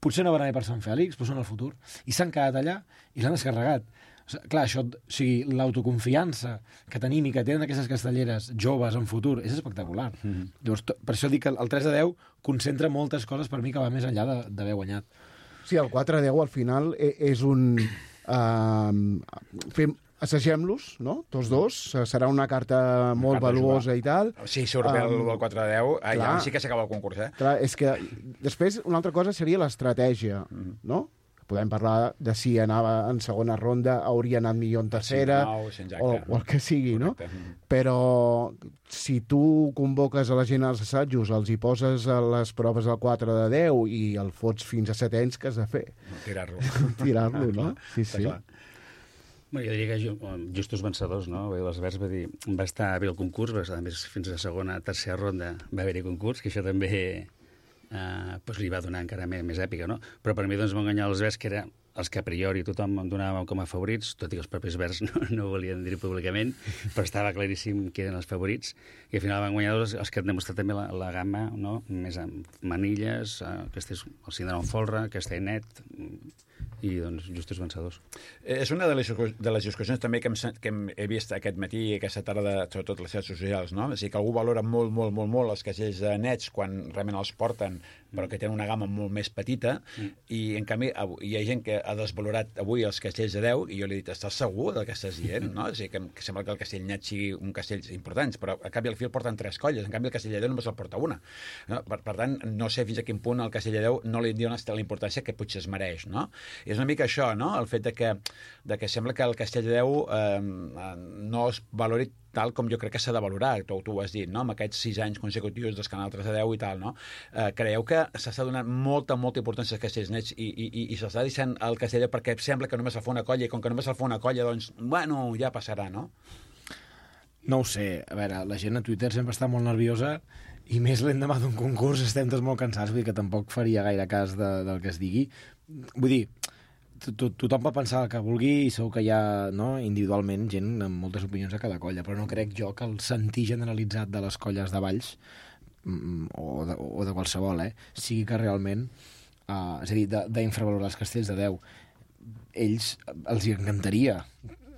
potser no van anar per Sant Fèlix, però són el futur, i s'han quedat allà i l'han descarregat. O sigui, clar, això, o sigui, l'autoconfiança que tenim i que tenen aquestes castelleres joves en futur és espectacular. Llavors, per això dic que el 3-10 concentra moltes coses per mi que va més enllà d'haver guanyat. Sí, el 4-10 al final és un... Assagem-los, no? Tots dos. Serà una carta molt valuosa i tal. Si surt bé el 4-10, allà sí que s'acaba el concurs, eh? Clar, és que després una altra cosa seria l'estratègia, no? Podem parlar de si anava en segona ronda, hauria anat millor en tercera, o el que sigui, no? Però si tu convoques a la gent als assajos, els hi poses a les proves del 4-10 i el fots fins a 7 anys, què has de fer? Tirar-lo, no? Sí. Bé, jo diria que justos vencedors, no? Les Verds va estar bé el concurs, a més fins a la segona, tercera ronda va haver-hi concurs, que això també li va donar encara més èpica, no? Però per mi van guanyar els Verds, que eren els que a priori tothom em donava com a favorits, tot i que els propis Verds no volien dir públicament, però estava claríssim que eren els favorits, i al final van guanyar els que han demostrat també la gamma, no? Més amb manilles, el Cinderón Folre, Castellnet, i doncs justos vencedors. És una de les discussions també que he vist aquest matí i aquesta tarda, sobretot les xarxes socials, no? És a dir, que algú valora molt els castells nets quan realment els porten, però que tenen una gamma molt més petita, i en canvi hi ha gent que ha desvalorat avui els castells de 10, i jo li he dit, estàs segur del que estàs dient? No? És a dir, que sembla que el castell net sigui un castell important, però a canvi al fil porten 3 colles, en canvi el castell de 10 només el porta una. No? Per tant, no sé fins a quin punt el castell de 10 no li diuen la importància que potser es mereix, no? És una mica això, no? El fet de que sembla que el castell de 10 no es valori tal com jo crec que s'ha de valorar, tu ho has dit, no? Amb aquests 6 anys consecutius dels canals 3 de 10 i tal, no? Creieu que s'està donant molta importància als castells nets i s'està deixant el castell perquè sembla que només el fa una colla, i com que només el fa una colla, doncs, bueno, ja passarà, no? No ho sé. A veure, la gent a Twitter sempre està molt nerviosa i més l'endemà d'un concurs estem tots molt cansats, vull dir que tampoc faria gaire cas del que es digui. Vull dir, tothom pot pensar el que vulgui i segur que hi ha individualment gent amb moltes opinions a cada colla, però no crec jo que el sentir generalitzat de les colles de Valls o de qualsevol, sigui que realment, és a dir, d'infravalorar els castells de 10. Ells els encantaria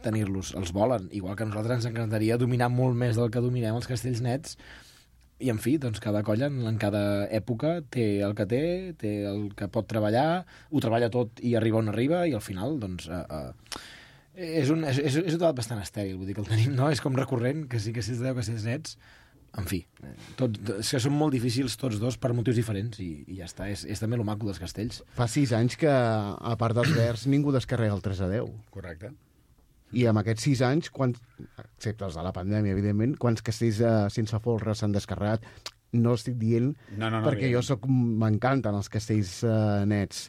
tenir-los, els volen, igual que a nosaltres ens encantaria dominar molt més del que dominem els castells nets, i en fi, doncs cada colla en cada època té el que té el que pot treballar, ho treballa tot i arriba on arriba, i al final doncs és un debat bastant estèril, vull dir que el tenim, no? És com recurrent, que sí que si es deu que si és nets, en fi, és que són molt difícils tots dos per motius diferents i ja està, és també lo maco dels castells. Fa 6 anys que, a part dels verds, ningú descarrega el 3-10. Correcte. I amb aquests 6 anys, excepte els de la pandèmia, evidentment, quants castells sense folre s'han descarregat? No estic dient perquè jo m'encanten els castells nets,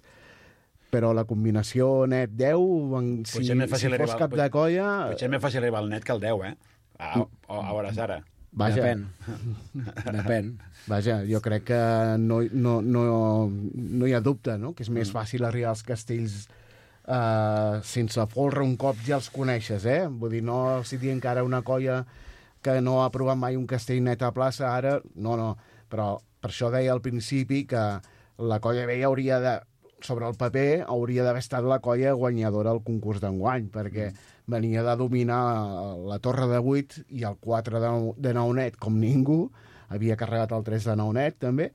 però la combinació net-10, si fos cap de colla... Potser és més fàcil arribar al net que al 10, a hores ara. Vaja. Depèn. Vaja, jo crec que no hi ha dubte, no? Que és més fàcil arribar als castells sense folre un cop ja els coneixes, Vull dir, no si dir encara una colla que no ha provat mai un castell net a plaça, ara, no. Però per això deia al principi que la colla vella hauria de, sobre el paper, hauria d'haver estat la colla guanyadora al concurs d'enguany, perquè venia de dominar la torre de 8 i el 4 de 9 net com ningú, havia carregat el 3 de 9 net també,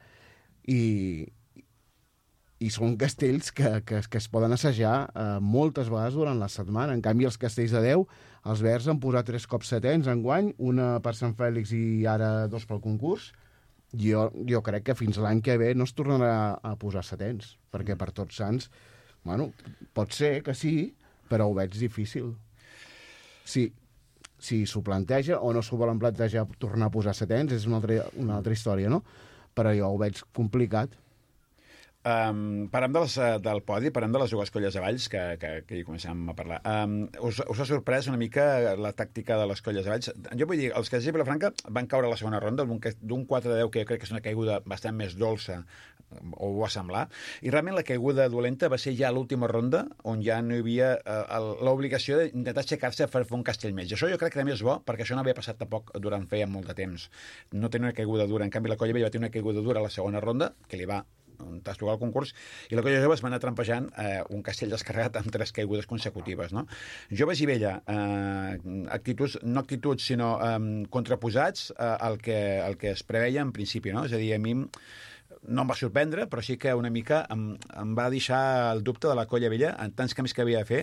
i són castells que es poden assajar moltes vegades durant la setmana. En canvi, els castells de 10, els verds han posat 3 cops setens enguany, una per Sant Fèlix i ara 2 pel concurs. Jo crec que fins l'any que ve no es tornarà a posar setens, perquè per Tots Sants, bueno, pot ser que sí, però ho veig difícil. Si s'ho planteja o no s'ho volen plantejar tornar a posar setens, és una altra història, no? Però jo ho veig complicat. Parlem del podi, parlem de les dues colles de Valls, que hi comencem a parlar. Us ha sorprès una mica la tàctica de les colles de Valls? Jo vull dir, els castells de Vilafranca van caure a la segona ronda d'un 4-10, que jo crec que és una caiguda bastant més dolça, o ho va semblar, i realment la caiguda dolenta va ser ja a l'última ronda, on ja no hi havia l'obligació d'intentar aixecar-se per fer un castell més. I això jo crec que també és bo, perquè això no havia passat tampoc durant feia molt de temps. No tenia una caiguda dura. En canvi, la colla vella va tenir una caiguda dura a la segona ronda, que li va tastugar el concurs, i la colla jove es va anar trampejant un castell descarregat amb 3 caigudes consecutives, no? Joves i vella, no actituds, sinó contraposats al que es preveia en principi, no? És a dir, a mi no em va sorprendre, però sí que una mica em va deixar el dubte de la colla vella en tants canvis que havia de fer,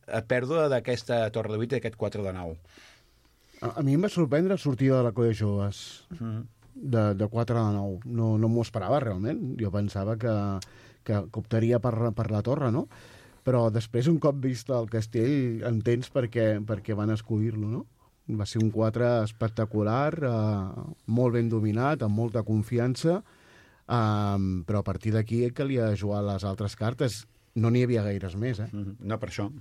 a pèrdua d'aquesta torre de 8 i d'aquest 4 de 9. A mi em va sorprendre la sortida de la colla joves. De 4 a 9. No m'ho esperava, realment. Jo pensava que optaria per la torre, no? Però després, un cop vist el castell, entens per què van escollir-lo, no? Va ser un 4 espectacular, molt ben dominat, amb molta confiança, però a partir d'aquí calia jugar les altres cartes. No n'hi havia gaires més, No, per això.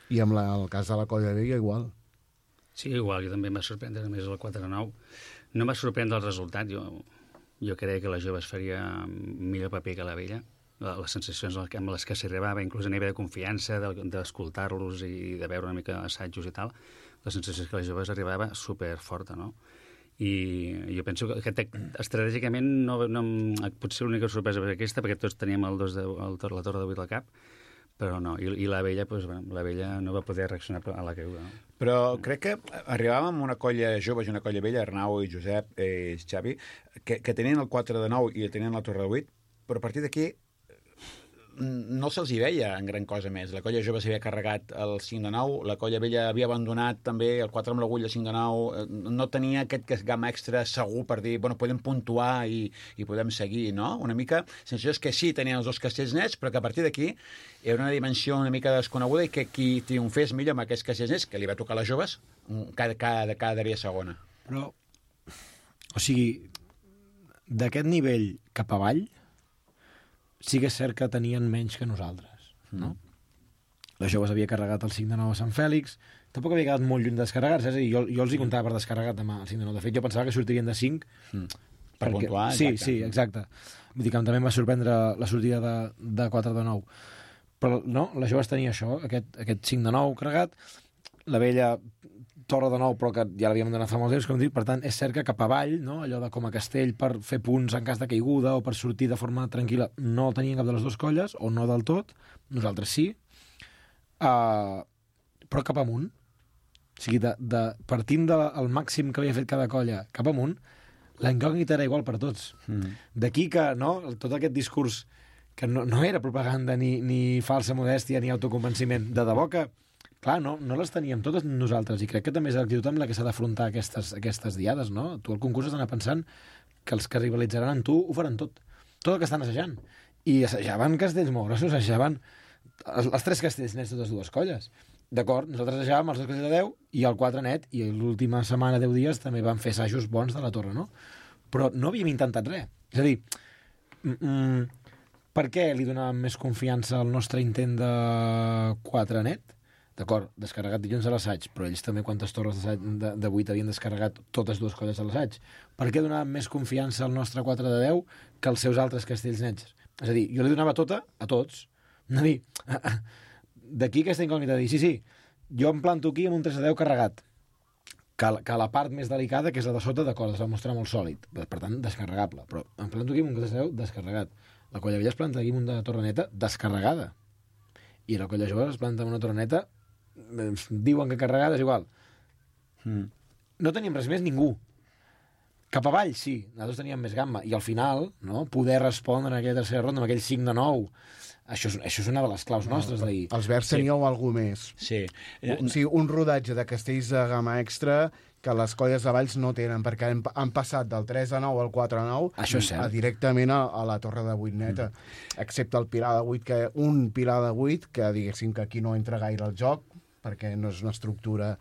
I amb el cas de la colla vella, igual. Sí, igual, jo també em va sorprendre més el 4 a 9. No em va sorprendre el resultat. Jo creia que la jove es faria millor paper que la vella. Les sensacions amb les que s'arribava, inclús a nivell de confiança, d'escoltar-los i de veure una mica assajos i tal, la sensació és que la jove arribava superforta, no? I jo penso que estratègicament potser l'única sorpresa va ser aquesta, perquè tots teníem la torre de 8 al cap, però no, i la vella, la vella no va poder reaccionar a la caiguda. No? Però crec que arribàvem amb una colla jove i una colla vella, Arnau i Josep i Xavi, que tenien el 4 de 9 i tenien la torre de 8, però a partir d'aquí no se'ls hi veia en gran cosa més. La colla jove s'havia carregat el 5 de 9, la colla vella havia abandonat també el 4 amb l'agulla, 5 de 9, no tenia aquest gamma extra segur per dir, bueno, podem puntuar i podem seguir, no? Una mica, sensació és que sí, tenien els dos castells nets, però que a partir d'aquí hi ha una dimensió una mica desconeguda i que qui triomfés millor amb aquests castells nets, que li va tocar a les joves, cada dia segona. Però, o sigui, d'aquest nivell cap avall, sí que és cert que tenien menys que nosaltres, no? Les joves havia carregat el 5 de 9 a Sant Fèlix, tampoc havia quedat molt lluny de descarregar-se, és a dir, jo els hi comptava per descarregat demà el 5 de 9. De fet, jo pensava que sortirien de 5. Per puntuar, sí, exacte. sí, exacte. Vull dir que també em va sorprendre la sortida de 4 de 9. Però no, les joves tenia això, aquest 5 de 9 carregat, la vella torre de 9, però que ja l'havíem donat fa molts temps, com dic, per tant, és cert que cap avall, no? Allò de com a castell per fer punts en cas de caiguda o per sortir de forma tranquil·la, no tenien cap de les dues colles, o no del tot, nosaltres sí, però cap amunt. O sigui, partint del màxim que havia fet cada colla cap amunt, la incògnita era igual per tots. D'aquí que, no?, tot aquest discurs que no era propaganda ni falsa modèstia ni autoconvenciment, de debò que, clar, no les teníem totes nosaltres, i crec que també és l'actitud amb la que s'ha d'afrontar aquestes diades, no? Tu al concurs has d'anar pensant que els que rivalitzaran amb tu ho faran tot el que estan assajant. I assajaven castells molt grossos, assajaven els 3 castells nets de totes dues colles. D'acord, nosaltres assajàvem els 2 castells de 10 i el 4 net, i l'última setmana, 10 dies, també vam fer assajos bons de la torre, no? Però no havíem intentat res. És a dir, per què li donàvem més confiança al nostre intent de 4 net? D'acord, descarregat dilluns a l'assaig, però ells també quantes torres de 8 havien descarregat totes dues colles a l'assaig. Per què donàvem més confiança al nostre 4 de 10 que als seus altres castells nets? És a dir, jo li donava tota a tots. És a dir, d'aquí aquesta incògnita de dir, sí, jo em planto aquí amb un 3 de 10 carregat, que la part més delicada, que és la de sota, d'acord, es va mostrar molt sòlid, per tant, descarregable, però em planto aquí amb un 3 de 10 descarregat. La colla vella es planta aquí amb una torreneta descarregada, i la colla jove es planta amb una torreneta, diuen que carregada és igual. No teníem res més ningú. Cap avall, sí, nosaltres teníem més gamma, i al final, no, poder respondre en aquella tercera ronda amb aquell 5 de 9, això és una de les claus nostres d'ahir. Els verds teníeu alguna més. Sí. O sigui, un rodatge de castells de gamma extra que les colles de Valls no tenen, perquè han passat del 3 de 9 al 4 de 9 Això és cert. directament a la torre de 8 neta, excepte el pilar de 8, un pilar de 8, que diguéssim que aquí no entra gaire al joc, perquè no és una estructura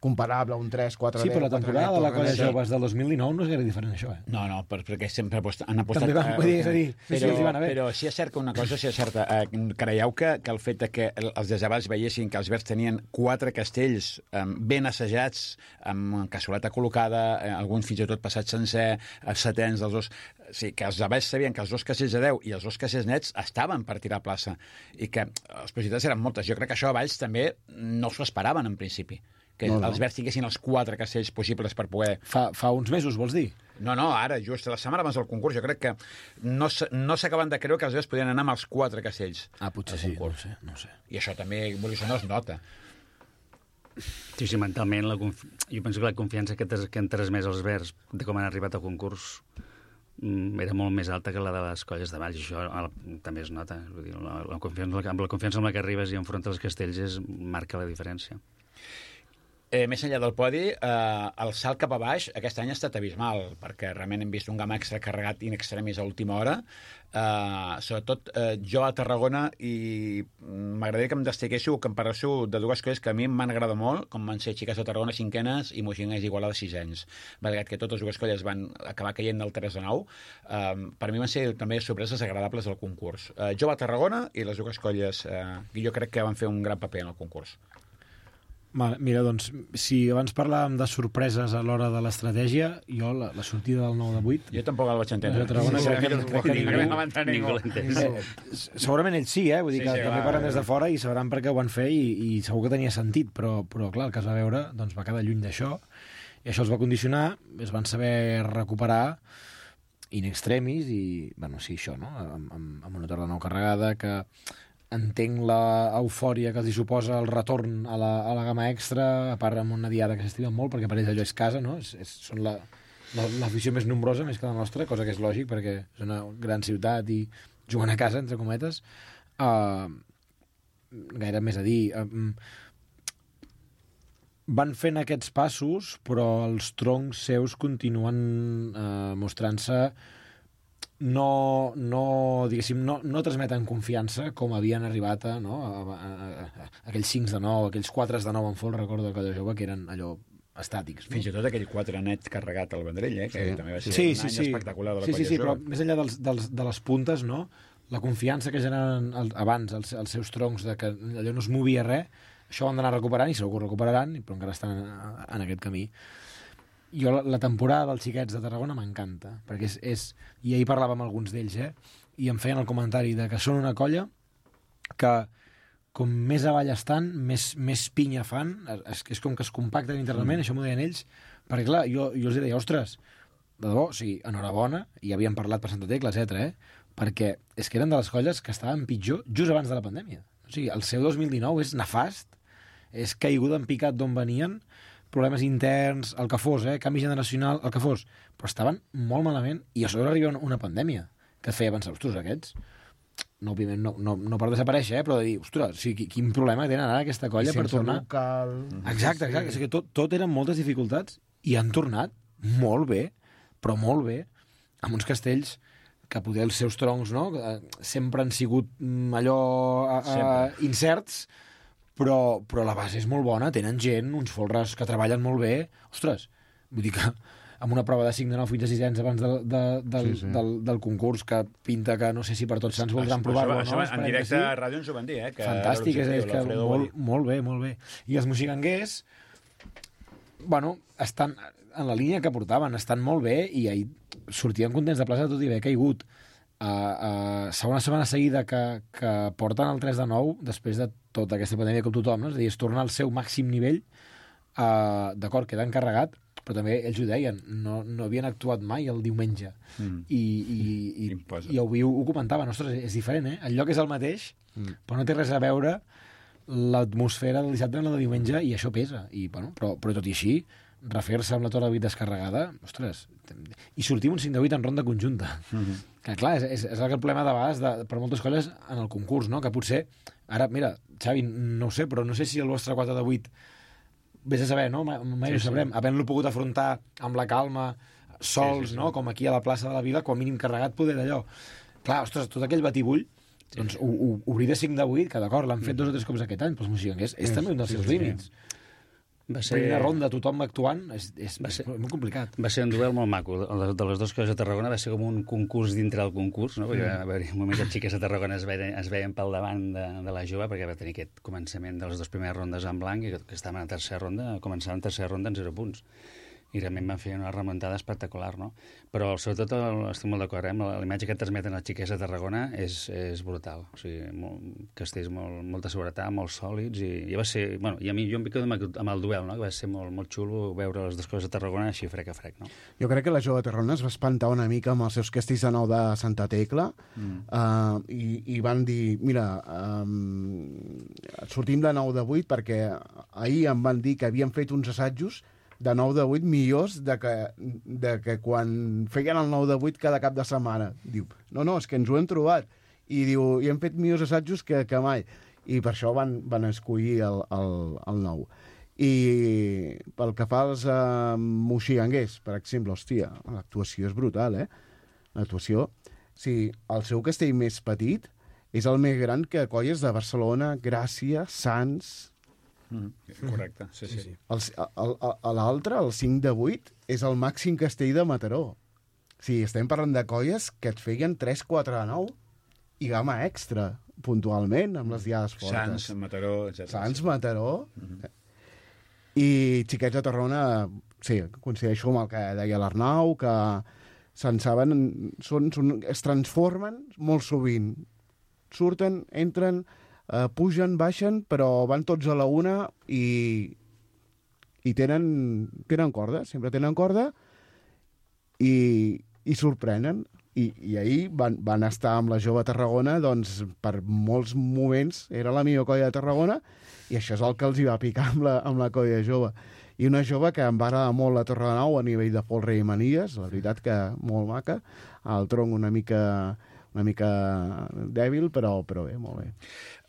comparable a un 3, 4, 10... Sí, però la temporada de la colla joves del 2019 no és gaire diferent, això, eh? No, perquè sempre han apostat... També van poder, és a dir, els hi van haver. Però sí és cert que una cosa, sí és certa. Creieu que el fet de que els desabats veiessin que els verds tenien 4 castells ben assajats, amb cassoleta col·locada, alguns fins i tot passats sencer, setens dels dos... Sí, que els avals sabien que els 2 castells de 10 i els 2 castells nets estaven per tirar a plaça, i que les possibilitats eren moltes. Jo crec que això a Valls també no s'ho esperaven en principi, que els verds tinguessin els 4 castells possibles per poder... Fa uns mesos, vols dir? No, ara, just la setmana abans del concurs, jo crec que no s'acaben de creure que els verds podien anar amb els 4 castells. Potser sí, no sé. I això també, això no es nota. Sí, mentalment, jo penso que la confiança que han transmès els verds de com han arribat al concurs era molt més alta que la de les colles de Valls, i això també es nota. Vull dir, la confiança amb la que arribes i enfrontes els castells marca la diferència. Més enllà del podi, el salt cap a baix aquest any ha estat abismal, perquè realment hem vist un gamma extra carregat in extremis a última hora. Sobretot jo a Tarragona, i m'agradaria que em destaquéssiu, que em parléssiu de 2 coses que a mi m'han agradat molt, com van ser Xiques de Tarragona 5enes i Moixingues Igualada 6ens. Malgrat que totes 2 colles van acabar caient del 3 de 9, per mi van ser també sorpreses agradables del concurs. Jo a Tarragona i les 2 colles, jo crec que van fer un gran paper en el concurs. Mira, doncs, si abans parlàvem de sorpreses a l'hora de l'estratègia, jo la sortida del 9 de 8... Jo tampoc el vaig entendre. Ningú l'ha entès. Segurament ells sí, vull dir que també parlen des de fora i sabran per què ho van fer, i segur que tenia sentit, però clar, el que es va veure doncs, va quedar lluny d'això, i això els va condicionar, es van saber recuperar in extremis, i, bueno, sí, això, no?, amb una torre de 9 carregada, que entenc l'eufòria que els hi suposa el retorn a la gamma extra, a part amb una diada que s'estima molt, perquè per ells allò és casa, no? Són l'afició més nombrosa, més que la nostra, cosa que és lògic, perquè és una gran ciutat i juguen a casa, entre cometes. Gaire més a dir. Van fent aquests passos, però els troncs seus continuen mostrant-se no transmeten confiança com havien arribat a aquells 5 de 9, aquells 4 de 9 en fol, recordo de colla jove, que eren allò estàtics. No? Fins i tot aquell 4 net carregat al Vendrell, que també va ser un any espectacular de la colla jove. Però més enllà de les puntes, no? la confiança que generen abans els seus troncs de que allò no es movia res, això ho han d'anar recuperant i segur que ho recuperaran, però encara estan en aquest camí. Jo la temporada dels xiquets de Tarragona m'encanta, perquè i ahir parlàvem amb alguns d'ells, i em feien el comentari de que són una colla que com més avall estan, més pinya fan, és com que es compacten internament, això m'ho deien ells, perquè clar, jo els deia, ostres, de debò, o sigui, enhorabona, i havíem parlat per Santa Tecla, etc. Perquè és que eren de les colles que estaven pitjor just abans de la pandèmia. O sigui, el seu 2019 és nefast, és caiguda en picat d'on venien, problemes interns, el que fos, canvi generacional, el que fos, però estaven molt malament, i a sobre arriba una pandèmia que et feia pensar, ostres, aquests no per desaparèixer, però de dir, ostres, o sigui, quin problema tenen ara aquesta colla per tornar. Local. Exacte. És que tot eren moltes dificultats i han tornat molt bé, però molt bé, amb uns castells que poder els seus troncs, no? Sempre han sigut allò incerts, però la base és molt bona, tenen gent, uns folres que treballen molt bé. Ostres, vull dir que amb una prova de 5 de 9 fins a 6 abans del concurs, que pinta que no sé si per tots sants voldran provar-lo. Això en directe a ràdio ens ho van dir, que fantàstic, és que molt bé. I els moxiganguers, bueno, estan en la línia que portaven, estan molt bé, i ahir sortien contents de plaça tot i haver caigut. Segona setmana seguida que porten el 3 de 9 després de tota aquesta pandèmia com tothom, no? És a dir, es torna al seu màxim nivell, d'acord, queda encarregat, però també ells ho deien, no havien actuat mai el diumenge, i ho comentaven, ostres, és diferent, el lloc és el mateix, però no té res a veure l'atmosfera del dissabte amb la de diumenge, i això pesa, però tot i així refer-se amb la torre de 8 descarregada, ostres, i sortir un 5 de 8 en ronda conjunta. Que clar, és el problema de vegades per moltes colles en el concurs, no? Que potser, ara, mira, Xavi, no ho sé, però no sé si el vostre 4 de 8 vés a saber, no? Mai ho sabrem, havent-lo pogut afrontar amb la calma, sols, no? Com aquí a la plaça de la Vila, com a mínim carregat, poder d'allò. Clar, ostres, tot aquell batibull, doncs obrir de 5 de 8, que d'acord, l'han fet 2 o 3 cops aquest any, però els moxiganguers és també un dels seus límits. Primera ronda, tothom actuant, és molt complicat. Va ser un duel molt maco. De les dues coses a Tarragona va ser com un concurs dintre del concurs, no? Perquè va haver un moment que els xiques a Tarragona es veien pel davant de la jove, perquè va tenir aquest començament de les dues primeres rondes en blanc, i que estaven a tercera ronda, començaven a tercera ronda en 0 punts. I realment van fer una remuntada espectacular, no? Però sobretot estic molt d'acord, la imatge que transmeten els xiquets a Tarragona és brutal. O sigui, castells molta seguretat, molt sòlids, i va ser... Bueno, i a mi jo em quedo amb el duel, no? Que va ser molt xulo veure les dues coses a Tarragona així frec a frec, no? Jo crec que la jove de Tarragona es va espantar una mica amb els seus castells de 9 de Santa Tecla, i van dir, mira, sortim de 9 de 8 perquè ahir em van dir que havien fet uns assajos de 9 de 8 millors de que quan feien el 9 de 8 cada cap de setmana. Diu, no, és que ens ho hem trobat. I diu, i hem fet millors assajos que mai. I per això van escollir el 9. I pel que fa als moxiganguers, per exemple, hòstia, l'actuació és brutal, L'actuació, sí, el seu castell més petit és el més gran que colles de Barcelona, Gràcia, Sants... Correcte, sí. L'altre, el 5 de 8, és el màxim castell de Mataró. Sí, estem parlant de colles que et feien 3, 4 de 9 i gamma extra, puntualment, amb les diades fortes. Sants, Mataró, etc. Sants, Mataró... I xiquets de Tarragona, sí, coincideixo amb el que deia l'Arnau, que se'n saben, es transformen molt sovint. Surten, entren... pugen, baixen, però van tots a la una i tenen corda, sempre tenen corda i sorprenen. I ahir van estar amb la jove Tarragona, doncs per molts moments era la millor colla de Tarragona, i això és el que els hi va picar amb la colla jove. I una jove que em va agradar molt la Torre de Nou a nivell de folre i manies, la veritat que molt maca, el tronc una mica dèbil, però bé, molt bé.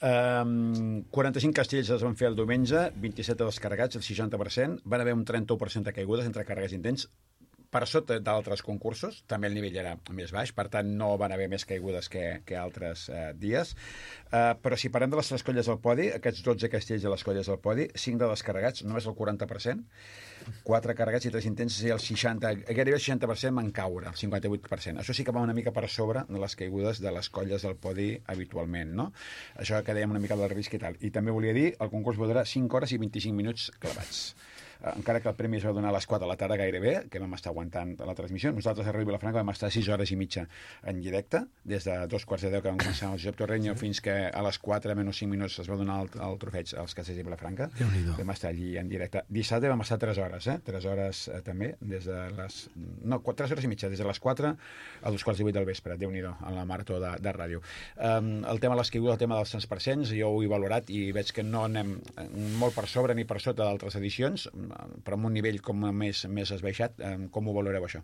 45 castells es van fer el diumenge, 27 descarregats, el 60%, van haver un 31% de caigudes entre càrregues intents. per sota d'altres concursos, també el nivell era més baix, per tant no van haver més caigudes que altres dies, però si parlem de les 3 colles al podi, aquests 12 castells de les colles al podi, 5 de descarregats, només el 40%, 4 carregats i 3 intents, i el 60, gairebé el 60% van caure, el 58%. Això sí que va una mica per sobre de les caigudes de les colles del podi habitualment, no? Això que dèiem una mica del risc i tal. I també volia dir, el concurs va durar 5 hores i 25 minuts clavats. Encara que el premi es va donar a les 4 de la tarda gairebé, que vam estar aguantant la transmissió. Nosaltres a Ràdio Vilafranca vam estar 6 hores i mitja en directe, des de 2:15 que vam començar el Josep Torreño fins que a les 4 menys 5 minuts es va donar el trofeig als castells de Vilafranca. Vam estar allí en directe. Dissabte vam estar 3 hores, 3 hores també, des de les... No, 3 hores i mitja, des de les 4 a 2:15 del vespre, Déu-n'hi-do, en la marató de ràdio. El tema de les caigudes, el tema dels 100%, jo ho he valorat i veig que no anem molt per sobre ni per sota d'altres edicions, però amb un nivell com més esbaixat. Com ho valoreu, això?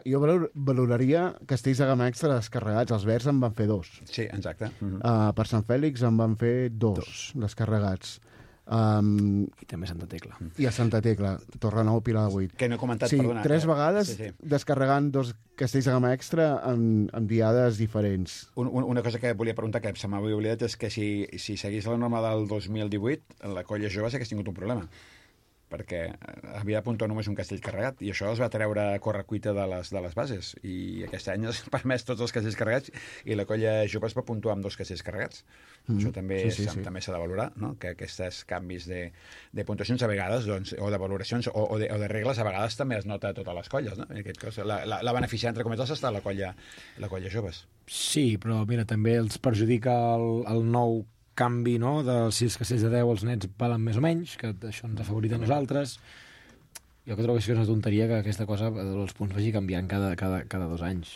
Jo valoraria castells de gamma extra descarregats. Els Verds en van fer 2. Sí, exacte. Per Sant Fèlix en van fer 2 descarregats. I també Santa Tecla. I a Santa Tecla, Torrenou, Pilar de 8. Que no he comentat, sí, perdona. 3 vegades descarregant 2 castells de gamma extra en diades diferents. Una cosa que volia preguntar, que se m'havia oblidat, és que si seguís la norma del 2018, la colla jove sí que has tingut un problema, perquè havia de puntuar només un castell carregat, i això es va treure a correcuita de les bases, i aquest any es permès tots els castells carregats, i la colla jove es va puntuar amb 2 castells carregats. Això també també s'ha de valorar, no? Que aquests canvis de puntuacions a vegades, doncs, o de valoracions o de regles, a vegades també es nota a totes les colles, no? En aquest cas, la beneficiada, entre cometes, està la colla joves. Sí, però mira, també els perjudica el nou canvi, no?, dels 6 castells de 10 els nets valen més o menys, que això ens ha favorit a nosaltres. Jo que trobo que és una tonteria que aquesta cosa, els punts, vagi canviant cada 2 anys.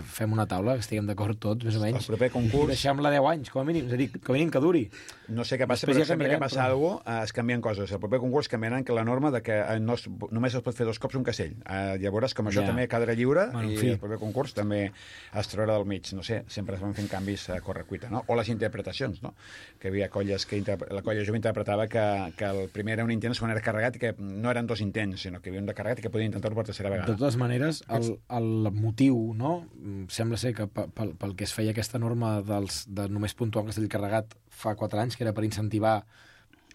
Fem una taula, que estiguem d'acord tots, més o menys, el proper concurs... i deixem-la 10 anys, com a mínim, és a dir, com a mínim que duri. No sé què passa, però sempre que passa alguna cosa, es canvien coses. El proper concurs canviaran que la norma de que només es pot fer 2 cops un castell. Llavors, com això també quedarà lliure, i el proper concurs també es traurà del mig. No sé, sempre es van fent canvis a correcuita, no? O les interpretacions, no? Que hi havia colles que la colla jove interpretava que el primer era un intent, el segon era carregat, i que no eren 2 intents, sinó que hi havia un de carregat i que podien intentar-ho per tercera vegada. De totes maneres, el motiu, no?, sembla ser que pel que es feia aquesta norma de només puntuar un castell carregat fa 4 anys, que era per incentivar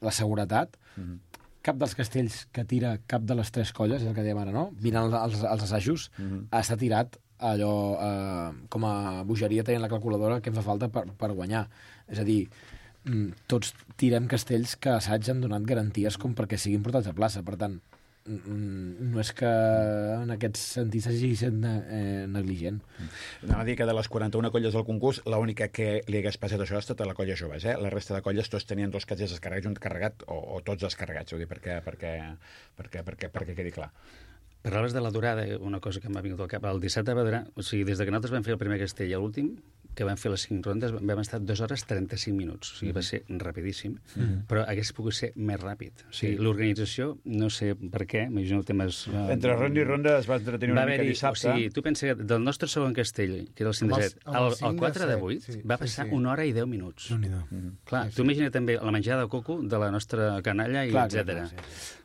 la seguretat, cap dels castells que tira cap de les 3 colles, és el que dèiem ara, no?, vinant als assajos, està tirat allò com a bogeria tenint la calculadora que em fa falta per guanyar. És a dir, tots tirem castells que a assaig han donat garanties com perquè siguin portats a plaça. Per tant, no és que en aquest sentit s'hagi estat negligent. Anava a dir que de les 41 colles del concurs, l'única que li hagués passat això ha estat a la colla joves, La resta de colles tots tenien 2 castells descarregats, un carregat o tots descarregats, vull dir, perquè quedi clar. Parlaves de la durada, una cosa que m'ha vingut al cap. El dissabte va durar... O sigui, des que nosaltres vam fer el primer castell a l'últim, que vam fer les 5 rondes, vam estar 2 hores 35 minuts. O sigui, va ser rapidíssim, però hagués pogut ser més ràpid. O sigui, l'organització, no sé per què, m'imagino temes... Entre ronda i ronda es va entretenir una mica dissabte. O sigui, tu pensa que del nostre segon castell, que era el 5 de 7, el 4 de 8, va passar 1 hora i 10 minuts. Clar, tu imagina també la menjada de coco de la nostra canalla, i etcètera.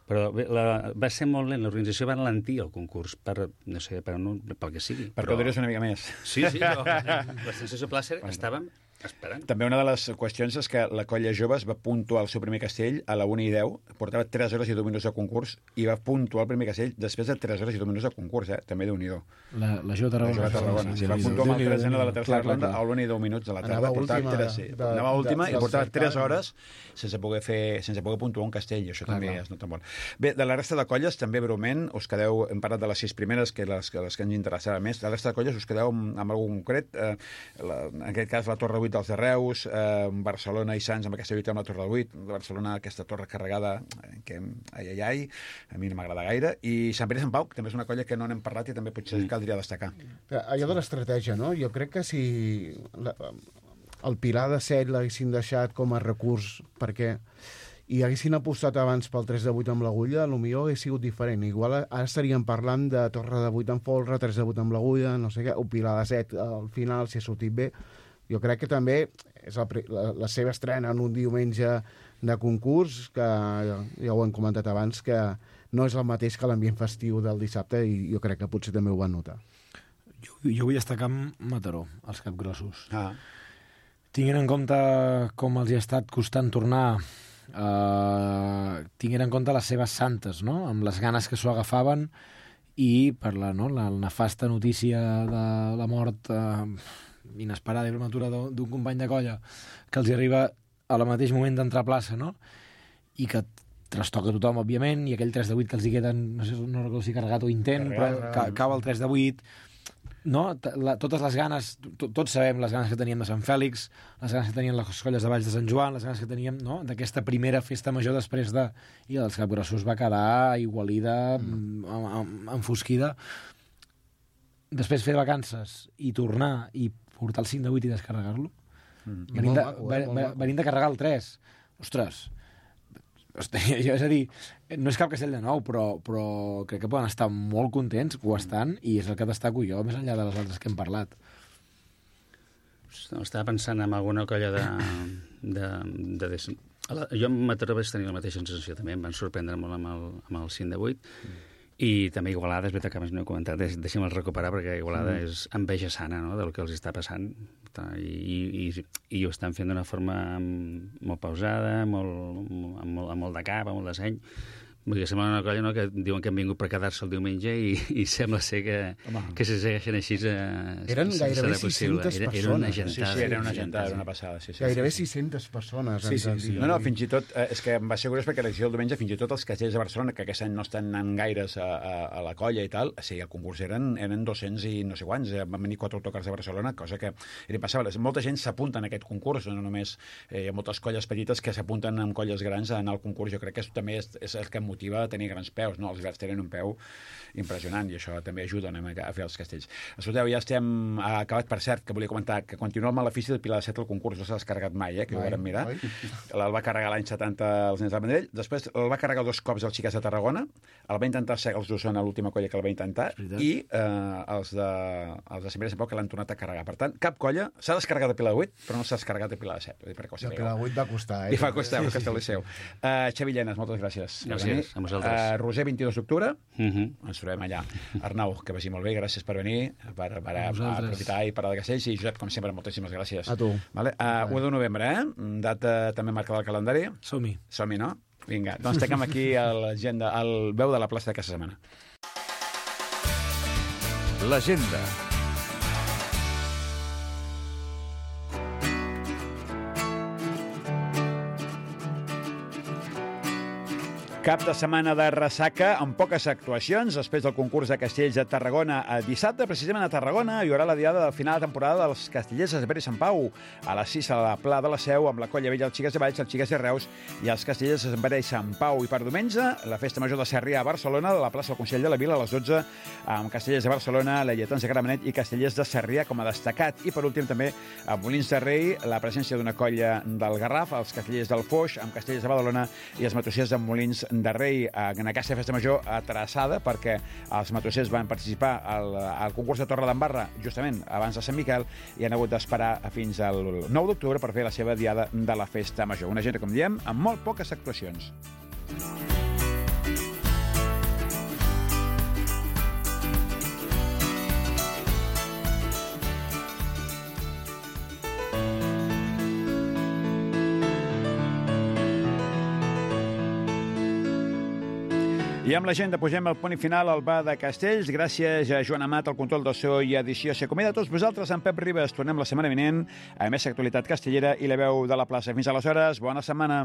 Però va ser molt lent, l'organització va alentir el concurs, pel que sigui. Per caldries una mica més. Sí, la sensació plàcer estàvem esperant. També una de les qüestions és que la colla joves va puntuar el seu primer castell a la 1:10, portava 3 hores i 2 minuts de concurs, i va puntuar el primer castell després de 3 hores i 2 minuts de concurs, també Déu-n'hi-do. La Jove Tarragona. Sí, va puntuar amb el 3 de la tercera ronda a l'1 i 10 minuts de la tarda. Anava última i portava 3 hores sense poder puntuar un castell, i això també es nota molt. Bé, de la resta de colles, també breument, us quedeu, hem parlat de les 6 primeres, que les que ens interessava més, de la resta de colles us quedeu amb algun concret, en aquest cas la Torre 8 dels de Reus, Barcelona i Sants amb aquesta lluita amb la Torre del 8, Barcelona aquesta torre carregada, que a mi no m'agrada gaire, i Sant Pere i Sant Pau, que també és una colla que no n'hem parlat i també potser caldria destacar. Allò de l'estratègia, no? Jo crec que si el Pilar de 7 l'haguessin deixat com a recurs perquè i haguessin apostat abans pel 3 de 8 amb l'agulla, potser hauria sigut diferent. Igual ara estaríem parlant de Torre de 8 amb folre, 3 de 8 amb l'agulla, no sé què, o Pilar de 7 al final, si ha sortit bé. Jo crec que també és la seva estrena en un diumenge de concurs, que ja ho hem comentat abans, que no és el mateix que l'ambient festiu del dissabte i jo crec que potser també ho van notar. Jo vull destacar Mataró, els capgrossos. Tinguent en compte com els hi ha estat costant tornar, tinguent en compte les seves santes, no? Amb les ganes que s'ho agafaven i per la nefasta notícia de la mort inesperada i prematura d'un company de colla que els hi arriba al mateix moment d'entrar a plaça, no? I que trastoca tothom, òbviament, i aquell 3 de 8 que els hi queden, no recordo si carregat o intent, però cau el 3 de 8, no? Totes les ganes, tots sabem les ganes que teníem de Sant Fèlix, les ganes que tenien les colles de Valls de Sant Joan, les ganes que teníem, no?, d'aquesta primera festa major després de... I els capgrossos va quedar aigualida, enfosquida. Després fer vacances i tornar i portar el 5 de 8 i descarregar-lo, venint de carregar el 3. Ostres, és a dir, no és cap castell de nou, però crec que poden estar molt contents, ho estan, i és el que destaco jo, més enllà de les altres que hem parlat. Estava pensant en alguna colla jo amb Mataró vaig tenir la mateixa sensació també, em van sorprendre molt amb el 5 de 8, i també Igualada, és veritat que abans no he comentat, deixem-el recuperar perquè Igualada és enveja sana, no?, del que els està passant, i ho estan fent d'una forma molt pausada, amb molt de cap, amb molt de seny. Vull dir, sembla una colla, no?, que diuen que han vingut per quedar-se el diumenge i sembla ser que se segueixen així. Eren gairebé 600 persones. Era una gentada. Sí, era una gentada, era una passada. Sí. Gairebé 600 persones. Sí. No, fins i tot, és que em va ser curiós perquè l'edició del diumenge, fins i tot els castells de Barcelona, que aquest any no estan anant gaires a la colla i tal, sí, el concurs eren 200 i no sé quants, van venir 4 autocars de Barcelona, cosa que era impensable. Molta gent s'apunta en aquest concurs, no només hi ha moltes colles petites que s'apunten amb colles grans a anar al concurs. Jo crec que això també és el que motiva a tenir grans peus, no? Els hiverns tenen un peu impressionant i això també ajuda a fer els castells. Escolteu, ja estem acabat. Per cert, que volia comentar que continua el malefici del Pilar de Set al concurs, no s'ha descarregat mai, que ho vam mirar. El va carregar l'any 70 els nens del Vendrell, després el va carregar 2 cops els xiquets de Tarragona, el va intentar ser els d'Osona, l'última colla que el va intentar, i els de Sant Pere de Sant Pau que l'han tornat a carregar. Per tant, cap colla s'ha descarregat de Pilar de 8, però no s'ha descarregat de Pilar de 7. El Pilar de 8 va costar, I va costar, el Castell Liceu. Xavi Llenas, moltes gràcies. Gràcies, a vosaltres. Roser, 22 d'octubre, ens trobem allà. Arnau, que vagi molt bé, gràcies per venir, per aprofitar i parlar de castells, i Josep, com sempre, moltíssimes gràcies. A tu. 1 de novembre, data també marcada al calendari. Som-hi. Som-hi, no? Vinga, doncs tanquem aquí l'agenda, el veu de la plaça d'aquesta setmana. L'agenda. Cap de setmana de ressaca amb poques actuacions després del concurs de castells de Tarragona. Dissabte, precisament a Tarragona, hi haurà la diada del final de temporada dels castellers de Sant Pere i Sant Pau. A les 6 a la Pla de la Seu, amb la Colla Vella, els Xiques de Valls, els Xiques de Reus i els castellers de Sant Pere i Sant Pau. I per diumenge, la Festa Major de Sarrià a Barcelona, a la plaça del Consell de la Vila, a les 12, amb castellers de Barcelona, Lleietans de Gramenet i castellers de Sarrià com a destacat. I per últim també a Molins de Rei, la presència d'una colla del Garraf, els castellers del Foix, amb castellers de Badalona i els matossers de Molins de Rei, en aquesta festa major atrasada perquè els matossers van participar al concurs de Torredembarra justament abans de Sant Miquel i han hagut d'esperar fins al 9 d'octubre per fer la seva diada de la festa major. Una agenda, com diem, amb molt poques actuacions. I amb l'agenda posem el punt final al bar de Castells. Gràcies a Joan Amat, al control de so i edició. S'acomiada a tots vosaltres, en Pep Ribes. Tornem la setmana vinent a més actualitat castellera i la veu de la plaça. Fins aleshores, bona setmana.